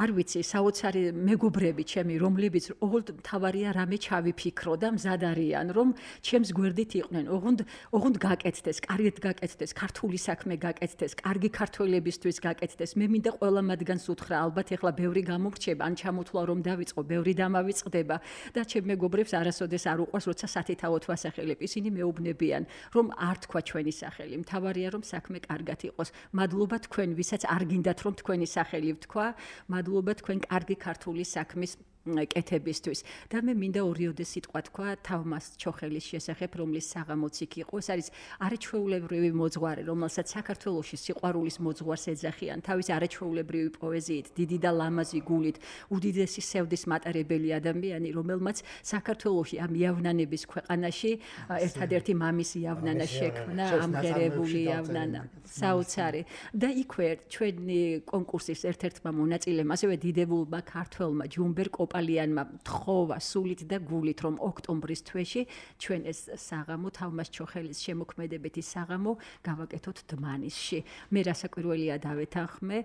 არ ვიცი, საოცარი მეგობრები ჩემი, რომლებიც ოღონდ თავარია რამე ჩავიფიქრო და მზად არიან, რომ ჩემს გვერდით იყვნენ, ოღონდ გაკეთდეს, კარგად გაკეთდეს, ქართული საქმე გაკეთდეს, კარგი ქართველებისთვის გაკეთდეს. მე მინდა ყველა მათგანს უთხრა, ალბათ ეხლა ბევრი გამორჩება, ან ჩამოთვლა რომ დავიწყო, ბევრი დამავიწყდება და ჩემ მეგობრებს არასოდეს არ უყვარს, როცა სათითაოდ ვასახელებ. ისინი მეუბნებიან, რომ არ თქვა ჩვენი სახელი. მთავარია რომ საქმე კარგად იყოს. მადლობა თქვენ, ვისაც არ გინდათ რომ თქვენი სახელი ვთქვა. მადლობა თქვენ კარგი ქართული საქმის კეთებისთვის და მე მინდა ორიოდე სიტყვა თქვა თავმას ჩოხელის შესახებ, რომლის საღამოც იქ იყო. ეს არის არაჩვეულებრივი მოძღვარი, რომელსაც საქართველოში სიყვარულის მოძღვარს ეძახიან, თავის არაჩვეულებრივი პოეზიით, დიდი და ლამაზი გულით, უდიდესი სევდის მატარებელი ადამიანი, რომელმაც საქართველოში ამ იავნანების ქვეყანაში ერთადერთი მამის იავნანა შექმნა, ამღერებული იავნანა, საოცარი. და იქვე ჩვენი კონკურსის ერთ-ერთმა მონაწილემ, ასევე დიდებულმა ქართველმა ჯუმბერ კოპალიანმა თხოვა სულით და გულით, რომ ოქტომბრის თვეში ჩვენ ეს საღამო თავმას ჩოხელის შემოქმედებითი საღამო გავაკეთოთ დმანისში. მე რასაკვირველია დავეთანხმე,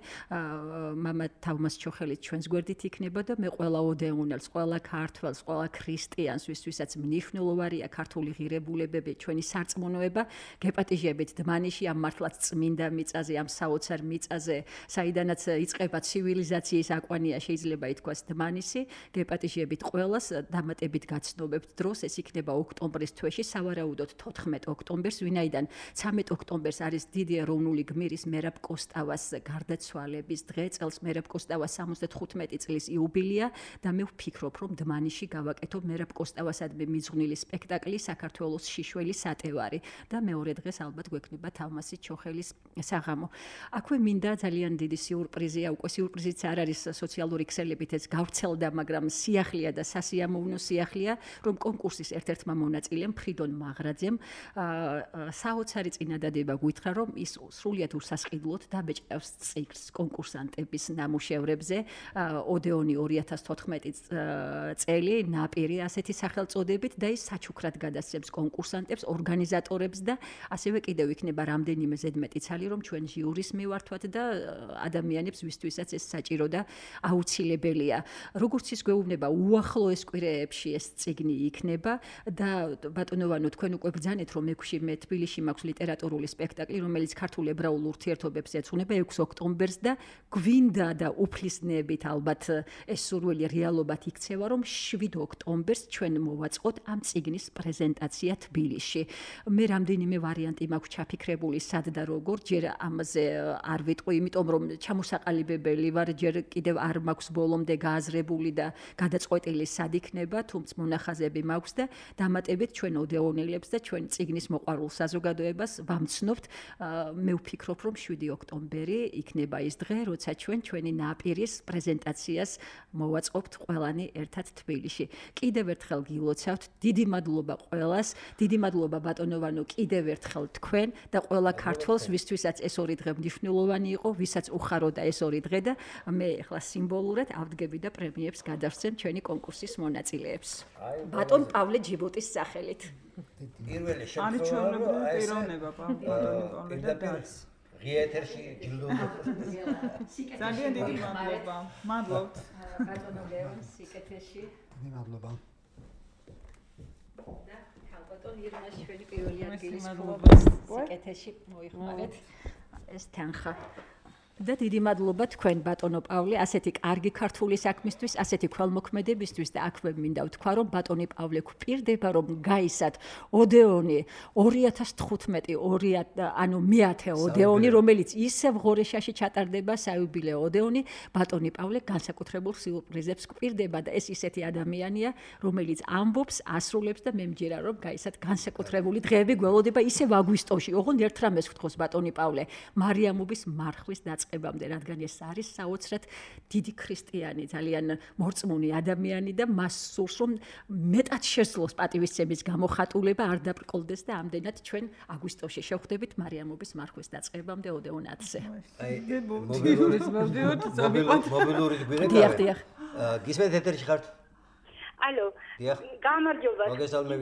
მამა თავმას ჩოხელის ჩვენს გვერდით იქნება და მე ყველა ოდეუნელს, ყველა ქართველს, ყველა ქრისტიანს, ვისაც მნიშვნელოვანია ქართული ღირებულებები, ჩვენი სარწმუნოება, გეპატიჟებით დმანისში ამ მართლაც წმინდა მიწაზე, ამ საოცარ მიწაზე, საიდანაც იწყება ცივილიზაციის აკვანია, შეიძლება ითქვას დმანისი. გეპატიჟებით ყველას დამატებით გაცნობებთ დროს, ეს იქნება ოქტომბრის თვეში, სავარაუდოდ 14 ოქტომბერს, ვინაიდან 13 ოქტომბერს არის დიდი ეროვნული გმირის მერაბ კოსტავას გარდაცვალების დღე, წელს მერაბ კოსტავას 75 წლის იუბილეა და მე ვფიქრობ, რომ დმანისში გავაკეთო მერაბ კოსტავასადმი მიძღვნილი სპექტაკლი საქართველოს შიშველი სატევარი და მეორე დღეს ალბათ გვექნება თავმასი ჩოხელის საღამო. აქვე მინდა ძალიან დიდი სიურპრიზია, უკვე სიურპრიზიც არ არის სოციალური ქსელებით ეს გავრცელდა, მაგრამ სიახლეა და სასიამოვნო სიახლეა, რომ კონკურსის ერთ-ერთმა მონაწილემ ფრიდონ მაღრაძემ საოცარი წინადადება გვითხრა, რომ ის სრულიად უსასყიდლოდ დაბეჭდავს ციკლს კონკურსანტების ნამუშევრებზე. ოდეონი 2014 წელი, ნაპირი ასეთი სახელწოდებით და ის საჩუქრად გადასცემს კონკურსანტებს, ორგანიზატორებს და ასევე კიდევ იქნება რამდენიმე ზედმეტი ცალი, რომ ჩვენ ჟიურის მივართვათ და ადამიანებს, ვისთვისაც ეს საჭირო და აუცილებელია. როგორც ის გვეუბნება, უახლოეს კვირეებში ეს წიგნი იქნება და ბატონოვანო, თქვენ უკვე ბრძანეთ, რომ 6 მე თბილისში მაქვს ლიტერატურული სპექტაკლი, რომელიც ქართულ ებრაულ ურთიერთობებს ეძღვნება 6 ოქტომბერს და გვინდა და უფლისნებით ალბათ ეს სურვილი რეალობად იქცევა, რომ 7 ოქტომბერს ჩვენ მოვაწყოთ ამ წიგნის პრეზენტაცია თბილისში. მე რამდენიმე ვარიანტი მაქვს ჩაფიქრებული, სად და როგორ, ჯერ ამაზე არ ვიტყვი, იმიტომ რომ ჩამოსაყალიბებელი ვარ, ჯერ კიდევ არ მაქვს ბოლომდე გააზრებული და გადაწყვეტილი სად იქნება, თუმცა მონახაზები მაქვს და დამატებით ჩვენ ოდეონელებს და ჩვენ წიგნის მოყვარულ საზოგადოებას ვამცნობთ. მე ვფიქრობ, რომ 7 ოქტომბერი იქნება ის დღე, როცა ჩვენ ჩვენი ნაპირის პრეზენტაციას მოვაწყობთ ყველანი ერთად თბილისში. კიდევ ერთხელ გილოცავთ, დიდი მადლობა ყველას, დიდი მადლობა ბატონოვანო კიდევ ერთხელ თქვენ და ყველა ქართველს, ვისთვისაც ეს ორი დღე მნიშვნელოვანი იყო, ვისაც უხაროდა ეს ორი დღე და მე ახლა სიმბოლურად ავდგები და პრემიებს გადავსცემ ჩვენი კონკურსის მონაწილეებს. ბატონ პავლე ჯიბუტის სახელით. პირველი შემთხვევა პიროვნება პავლე და დაც. ღიეთერში ჯილდო. ძალიან დიდი მადლობა. მადლობთ. ბატონო ლეონ სიკეთეში. მადლობა. და ბატონ ირმას ჩვენი პირველი ადგილის ფლობას სიკეთეში მოიხმარეთ ეს თანხა. და დიდი მადლობა თქვენ ბატონო პავლე, ასეთი კარგი ქართული საქმისთვის, ასეთი ქველმოქმედებისთვის და აქვე მინდა ვთქვა, რომ ბატონი პავლე გვპირდება, რომ გაისად ოდეონი 2015 ანუ მეათე ოდეონი, რომელიც ისევ ღორეშაში ჩატარდება საიუბილეო ოდეონი, ბატონი პავლე განსაკუთრებულ სიურპრიზებს გვპირდება და ეს ისეთი ადამიანია, რომელიც ამბობს, ასრულებს და მე მჯერა, რომ გაისად განსაკუთრებული დღეები გველოდება ისევ აგვისტოში. ოღონდ ერთ რამეს ვთქოს ბატონი პავლე, მარიამობის მარხვის დაწყება დაწყებამდე, რადგან ეს არის საოცრად დიდი ქრისტიანი, ძალიან მორწმუნე ადამიანი და მას სურს რომ მეტად შესძლოს პატივისცემის გამოხატულება, არ დაბრკოლდეს და ამდენად ჩვენ აგვისტოში შევხვდებით მარიამობის მარხვის დაწყებამდე ოდეონათზე. მობილური გვირეკავე. გისმენთ ეთერში ხართ? ალო. გამარჯობა.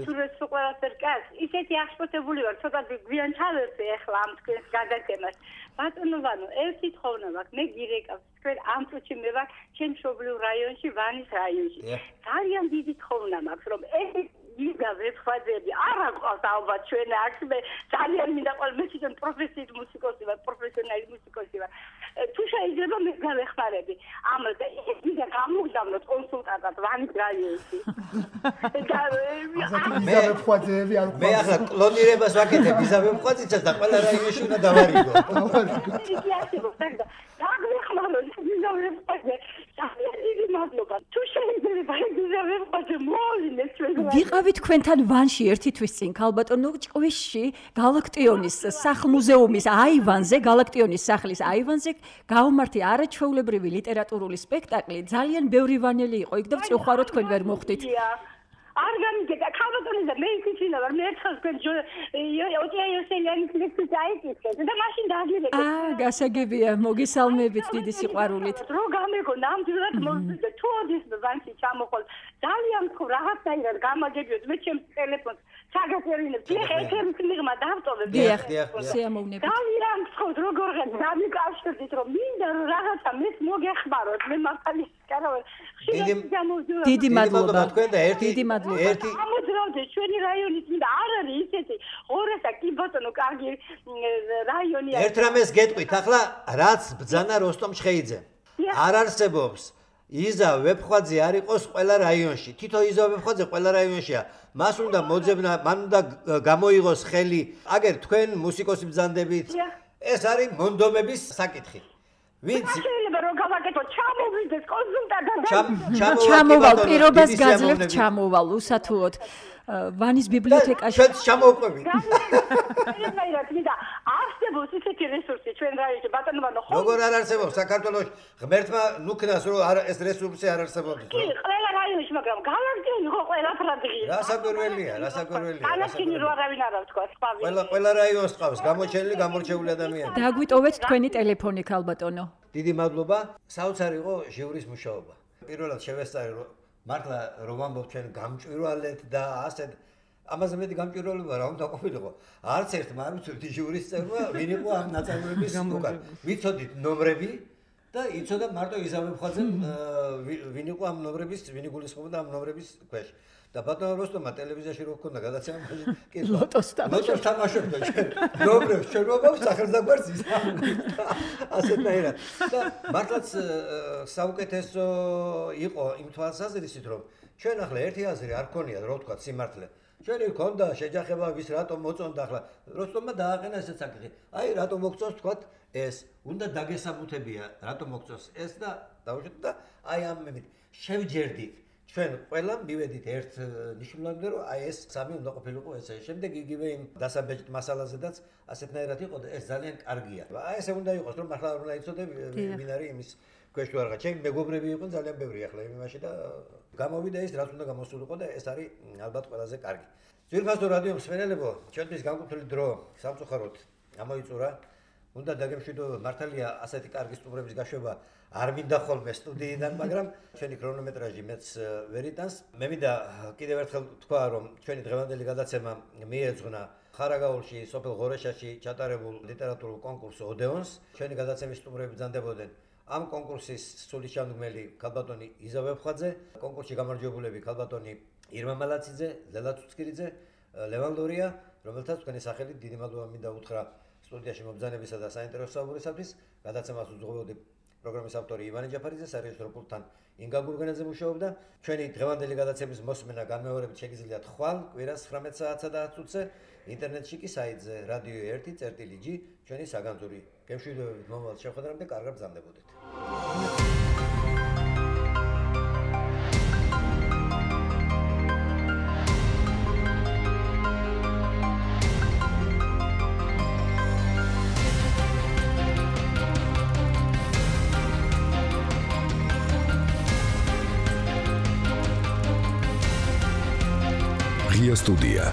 სურს ყველაფერ კაც. ისეთი აღშფოთებული ვარ, ცოტა გვიან ჩავერწე ახლა ამ თქვენს გადაცემას. ბატონო ვანო, ერთი თხოვნა მაქვს, მე გირეკავს. თქვენ ამ წუთში მე ვარ ჩემ მშობლიურ რაიონში, ვანის რაიონში. ძალიან დიდი თხოვნა მაქვს, რომ ეს იგა ვეფხაზები არ აყავს ალბათ ჩვენ აქ მე ძალიან მინდა ყოველ მე თვითონ პროფესიით მუსიკოსი ვარ, პროფესიონალი მუსიკოსი ვარ. თუ შეიძლება მე გავეხმარები. ამაზე იგა გამოგდამნოთ კონსულტანტად ვანის რაიონში. მე ვეფხაზები არ მე ახლა კლონირებას ვაკეთებ, იზა ვეფხაზიცას და ყველა რაიონში უნდა დავარიგო. იგი არსებობს, და გავეხმაროთ იზა ვეფხაზე. თუ შეიძლება იზა ვეფხაზე მოვლინეს ჩვენ. ვიყავით თქვენთან ვანში ერთი თვის წინ ქალბატონო ჭყვისში გალაქტიონის სახლ-მუზეუმის აივანზე, გალაქტიონის სახლის აივანზე გავმართი არაჩვეულებრივი ლიტერატურული სპექტაკლი. ძალიან ბევრი ვანელი იყო იქ და ვწუხარო თქვენ ვერ მოხვდით. არ გამიგეთ, ქალბატონი და მე ისინა ვარ, მე ერთხელ თქვენ ოტია იოსელიანის ლექსს აიკითხეთ და მაშინ დაგირეკეთ. გასაგებია, მოგესალმებით დიდი სიყვარულით. რო გამეგო ნამდვილად მოვიდა თუ ოდის ვანში ჩამოხვალ. ძალიან ხო რაღაცაირად გამაგებიოთ მე ჩემს ტელეფონს ჩაგაწერინებ. ეხლა ეთერის მიღმა დავტოვებ. დიახ, სიამოვნებით. ძალიან ხო როგორ გამიკავშირდით რომ მინდა რომ რაღაცა მეც მოგეხმაროთ. მე მართალი კარავ. დიდი მადლობა თქვენ და ერთი ამოძრავდეთ ჩვენი რაიონის მინდა არ არის ისეთი ორასა კი ბატონო კარგი რაიონია. ერთ რამეს გეტყვით ახლა რაც ბძანა როსტომ ჩხეიძე. არ არსებობს იზა ვეფხვაძე არ იყოს ყველა რაიონში. თითო იზა ვეფხვაძე ყველა რაიონშია. მას უნდა მოძებნა, მან უნდა გამოიღოს ხელი. აგერ თქვენ მუსიკოსი ბძანდებით. ეს არის მონდომების საკითხი. ვინც შეიძლება რომ გავაკეთო ჩამოვიდეს კონსულტანტად. ჩამოვალ პირობას გაძლევთ ჩამოვალ უსათუოდ. ვანის ბიბლიოთეკაში ჩვენ ჩამოვყვებით. არსებობს ისეთი რესურსი ჩვენ რაიონში ბატონო ვანო ხო? როგორ არ არსებობს საქართველოში ღმერთმა ნუქნას რომ ეს რესურსი არ არსებობს. კი, ყველა რაიონში, მაგრამ გალაქტიონი ხო ყველაფრად ღირს. რასაკვირველია. გალაქტიონი რო არავინ არ აქვს თქვა, სხვა. ყველა რაიონს ყავს გამოჩენილი, გამორჩეული ადამიანები. დაგვიტოვეთ თქვენი ტელეფონი ქალბატონო. დიდი მადლობა. საოცარი იყო ჟიურის მუშაობა. პირველად შევესწარი რომ მართლა რომ ვამბობ ჩვენ გამჭვირვალეთ და ასეთ ამაზე მეტი გამჭვირვალება რა უნდა ყოფილიყო. არც ერთმა არ ვიცით ჟიურის წევრმა ვინ იყო ამ ნაწარმოების უკან. ვიცოდით ნომრები და იცოდა მარტო იზა ვეფხვაძემ ვინ იყო ამ ნომრების, ვინ იგულისხმობდა ამ ნომრების ქვეშ. და ბატონო როსტომმა ტელევიზიაში რო ჰქონდა გადაცემა კი ლოტოს თამაშობდა ჩვენ ნომრებს ჩვენ ვაქვს სახელმწიფოს იზა ასეთნაირად და მართლაც საუკეთესო იყო იმ თვალსაზრისით რომ ჩვენ ახლა ერთი აზრი არ ქონიათ რო ვთქვა სიმართლე ჩვენი ქონდა შეჯახება ვის რატომ მოწონდა ახლა როსტომმა დააყენა ესეც საკითხი აი რატომ მოგწონს თქვათ ეს უნდა დაგესაბუთებია რატომ მოგწონს ეს და დავუშვით და აი ამ მებით შევჯერდით ჩვენ ყველა მივედით ერთ ნიშნულამდე რომ აი ეს სამი უნდა ყოფილიყო ესე. შემდეგ იგივე იმ დასაბეჭდ მასალაზედაც ასეთნაირად იყო და ეს ძალიან კარგია. აი ესე უნდა იყოს რომ მართლა არ უნდა იცოდე ვინ არის იმის ქვეშ თუ არა. ჩემი მეგობრები იყვნენ ძალიან ბევრი ახლა იმაში და გამოვიდა ის რაც უნდა გამოსულიყო და ეს არის ალბათ ყველაზე კარგი. ძვირფასო რადიო მსმენელებო, ჩვენთვის განკუთვნილი დრო სამწუხაროდ ამოიწურა. უნდა დაგემშვიდო მართალია ასეთი კარგი სტუმრების გაშვება არ მინდა ხოლმე სტუდიიდან, მაგრამ ჩვენი ქრონომეტრაჟი მეც ვერ იტანს. მე მინდა კიდევ ერთხელ თქვა, რომ ჩვენი დღევანდელი გადაცემა მიეძღვნა ხარაგაულში, სოფელ ღორეშაში ჩატარებულ ლიტერატურულ კონკურს ოდეონს. ჩვენი გადაცემის სტუმრები ბრძანდებოდნენ ამ კონკურსის სულისჩამდგმელი ქალბატონი იზა ვეფხვაძე, კონკურსში გამარჯვებულები ქალბატონი ირმა მალაციძე, ლელა ცუცკირიძე, ლევან ლორია, რომელთაც თქვენი სახელით დიდი მადლობა მინდა უთხრა სტუდიაში მობრძანებისა და საინტერესო საუბარისათვის. გადაცემას უძღვებოდი პროგრამის ავტორი ივანე ჯაფარიძე, სარეჟისორო პულტთან ინგა გურგენაძე მუშაობდა. ჩვენი დღევანდელი გადაცემის მოსმენა განმეორებით შეგიძლიათ ხვალ კვირას 19 საათსა და 10 წუთზე ინტერნეტში კი საიტზე radio 1.g ჩვენი საგანძური. გემშვიდობებით მომავალ შეხვედრამდე, კარგად ბრძანდებოდეთ. ღია სტუდია